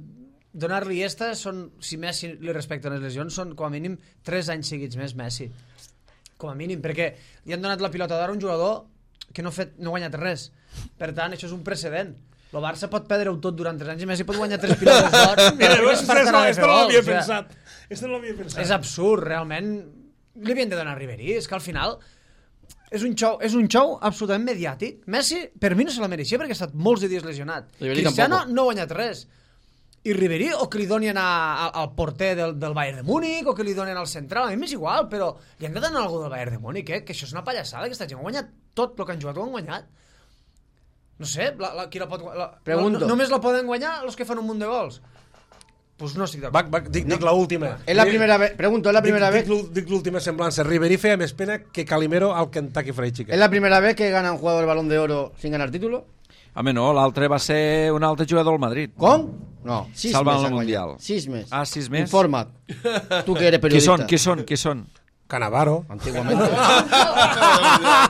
donar-li esta són, si Messi li respecten les lesions, són com a mínim 3 anys seguits més Messi. Com a mínim, perquè li han donat la pilota d'or a un jugador que no ha guanyat res. Per tant, això és un precedent. El Barça pot perdre-ho tot durant 3 anys i Messi pot guanyar 3 pilotes d'or. Esto no l'havia pensat. És absurd, realment. Li havien de donar a Ribery. És que al final és un show absolutament mediàtic. Messi, per mi, no se la mereixia perquè ha estat molts de dies lesionat. Cristiano no ha guanyat res. I Ribery, o que li donin al porter del Bayern de Múnich, o que li donin al central, a mi m'és igual, però li han de donar algú del Bayern de Múnich, que això és una pallassada, aquesta gent ha guanyat tot el que han jugat, ho han guanyat. No sé, qui la pot guanyar? Només la poden guanyar els que fan un munt de gols. Pues no estic d'acord. Dic l'última. És la primera vez, pregunto, és la primera vez... Dic l'última semblança. Ribery feia més pena que Calimero al Kentucky Fried Chicken. ¿Es la primera vez que gana un jugador el Balón de Oro sin ganar título? Home, no, l'altre va ser un altre jugador del Madrid. Com? No, 6 Salvant meses. el Mundial. 6 meses. Ah, 6 meses. Informa't. Tu que eres periodista. Qui són? Cannavaro. Antiguamente.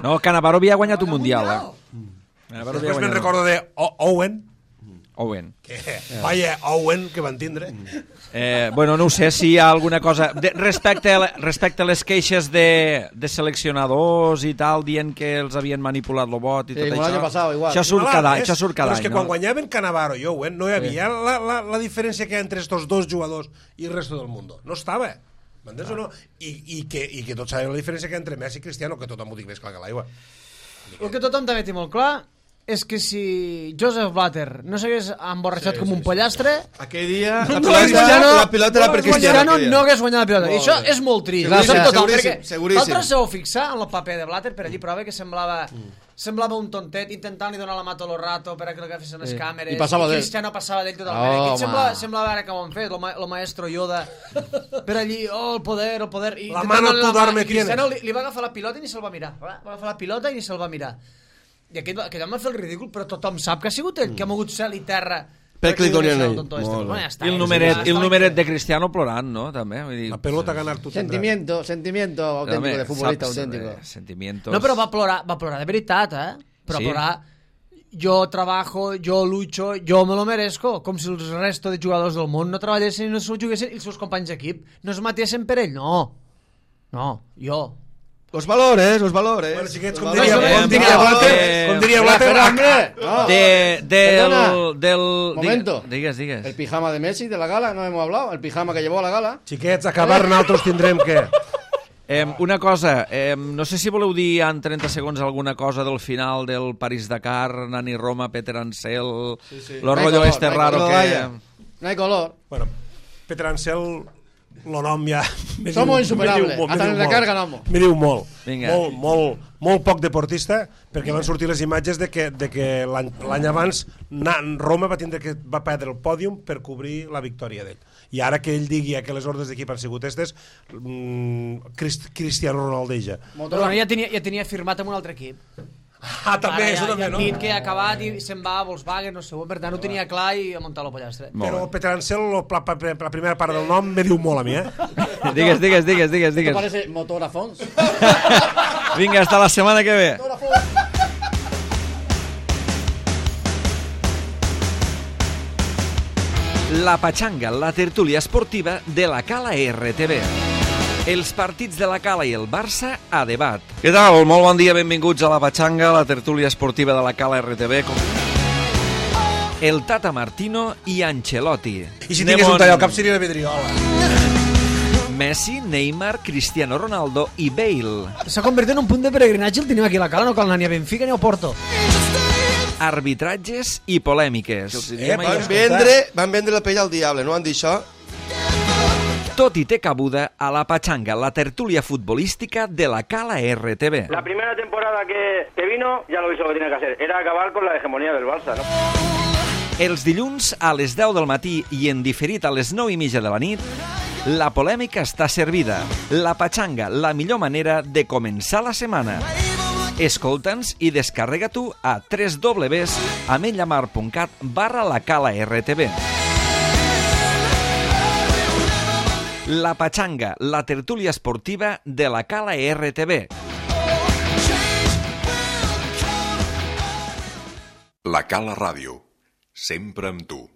No, Cannavaro havia guanyat un Mundial. Després me'n recordo de Owen. Vaya, Owen, que van tindre. Bueno, no ho sé si hi ha alguna cosa... Respecte a les queixes de seleccionadors i tal, dient que els havien manipulat el vot i tot això. Passado, igual. Això surt cada any. Però és que quan guanyaven Cannavaro i Owen no hi havia la diferència que hi ha entre estos dos jugadors i el resto del món. No estava. M'entens o no? I que tots sabem la diferència que hi ha entre Messi i Cristiano, que tothom ho dic més clar que l'aigua. El que tothom també té molt clar és que si Joseph Blatter no s'hagués emborratxat com un pollastre, Aquell dia la pilota era per Cristiano. no hagués guanyat la pilota. I això és molt trist. Seguríssim. L'altre s'ho fixar en el paper de Blatter, per allí prova que semblava un tontet intentant-li donar la mà tot el rato per a que l'agafessin les càmeres. I passava d'ell. Cristiano passava d'ell totalment. Semblava ara que ho han fet, el maestro Yoda, per allí, el poder. La mano tu dorme tienes. Cristiano li va agafar la pilota i ni se'l va mirar. Va agafar la pilota i ni se'l va mirar. I aquell home va fer el ridícul, però tothom sap que ha sigut ell, que ha mogut cel i terra. Perquè li donen ell. I el numeret de Cristiano plorant, no? També. La pelota ganar tu Sentimiento auténtico, de futbolista auténtico. Sentimientos. No, però va plorar de veritat, Però plorar, yo trabajo, yo lucho, yo me lo merezco, com si el resto de jugadors del món no treballessin i no s'ho juguessin i els seus companys d'equip no es matessin per ell, no, jo. Los valores. Bueno, xiquets, com diria Blatter, Momento. Digues. El pijama de Messi de la gala, no hemos hablado. El pijama que llevó a la gala. xiquets, acabar nosaltres tindrem que... Una cosa, no sé si voleu dir en 30 segons alguna cosa del final del París-Dakar, Nani Roma, Peter Ansel, lo rollo este raro que... No hay color. Bueno, Peter Ansel, lo nom ja... Somos insuperables, hasta en la carga ganamos. Me diu molt. Vinga. Molt poc deportista, perquè van sortir les imatges de que l'any abans Roma va perdre el pòdium per cobrir la victòria d'ell. I ara que ell digui que les ordres d'equip han sigut aquestes, Cristiano Ronaldo Però ja tenia firmat amb un altre equip. També, això també, ja no? han dit que ha acabat i se'n va a Volkswagen, no sé, per tant ho tenia clar i ha muntat el pollastre. Però Peter Ansel, la primera part del nom, me diu molt a mi, Digues. Esto parece motor Afons. Vinga, hasta la setmana que ve. La Pachanga, la tertúlia esportiva de la Cala RTV. Els partits de la Cala i el Barça a debat. Què tal? Molt bon dia, benvinguts a la Pachanga, la tertúlia esportiva de la Cala RTV. El Tata Martino i Ancelotti. I si tingués un tall al cap seria la vidriola. Messi, Neymar, Cristiano Ronaldo i Bale. S'ha convertit en un punt de peregrinatge, el tenim aquí a la Cala, no cal anar ni a Benfica ni a Porto. Arbitratges i polèmiques. Van vendre la pell al diable, no van dir això? Tot i té cabuda a la Pachanga, la tertúlia futbolística de la Cala RTV. La primera temporada que vino, ya lo hizo lo que tenía que hacer. Era acabar con la hegemonía del Barça, ¿no? Els dilluns a les 10 del matí i en diferit a les 9:30 de la nit, la polèmica està servida. La Pachanga, la millor manera de començar la setmana. Escolta'ns i descarrega-t'ho a www.amenyamar.cat/lacala-rtv. La Pachanga, la tertúlia esportiva de la Cala RTV. La Cala Ràdio, sempre amb tu.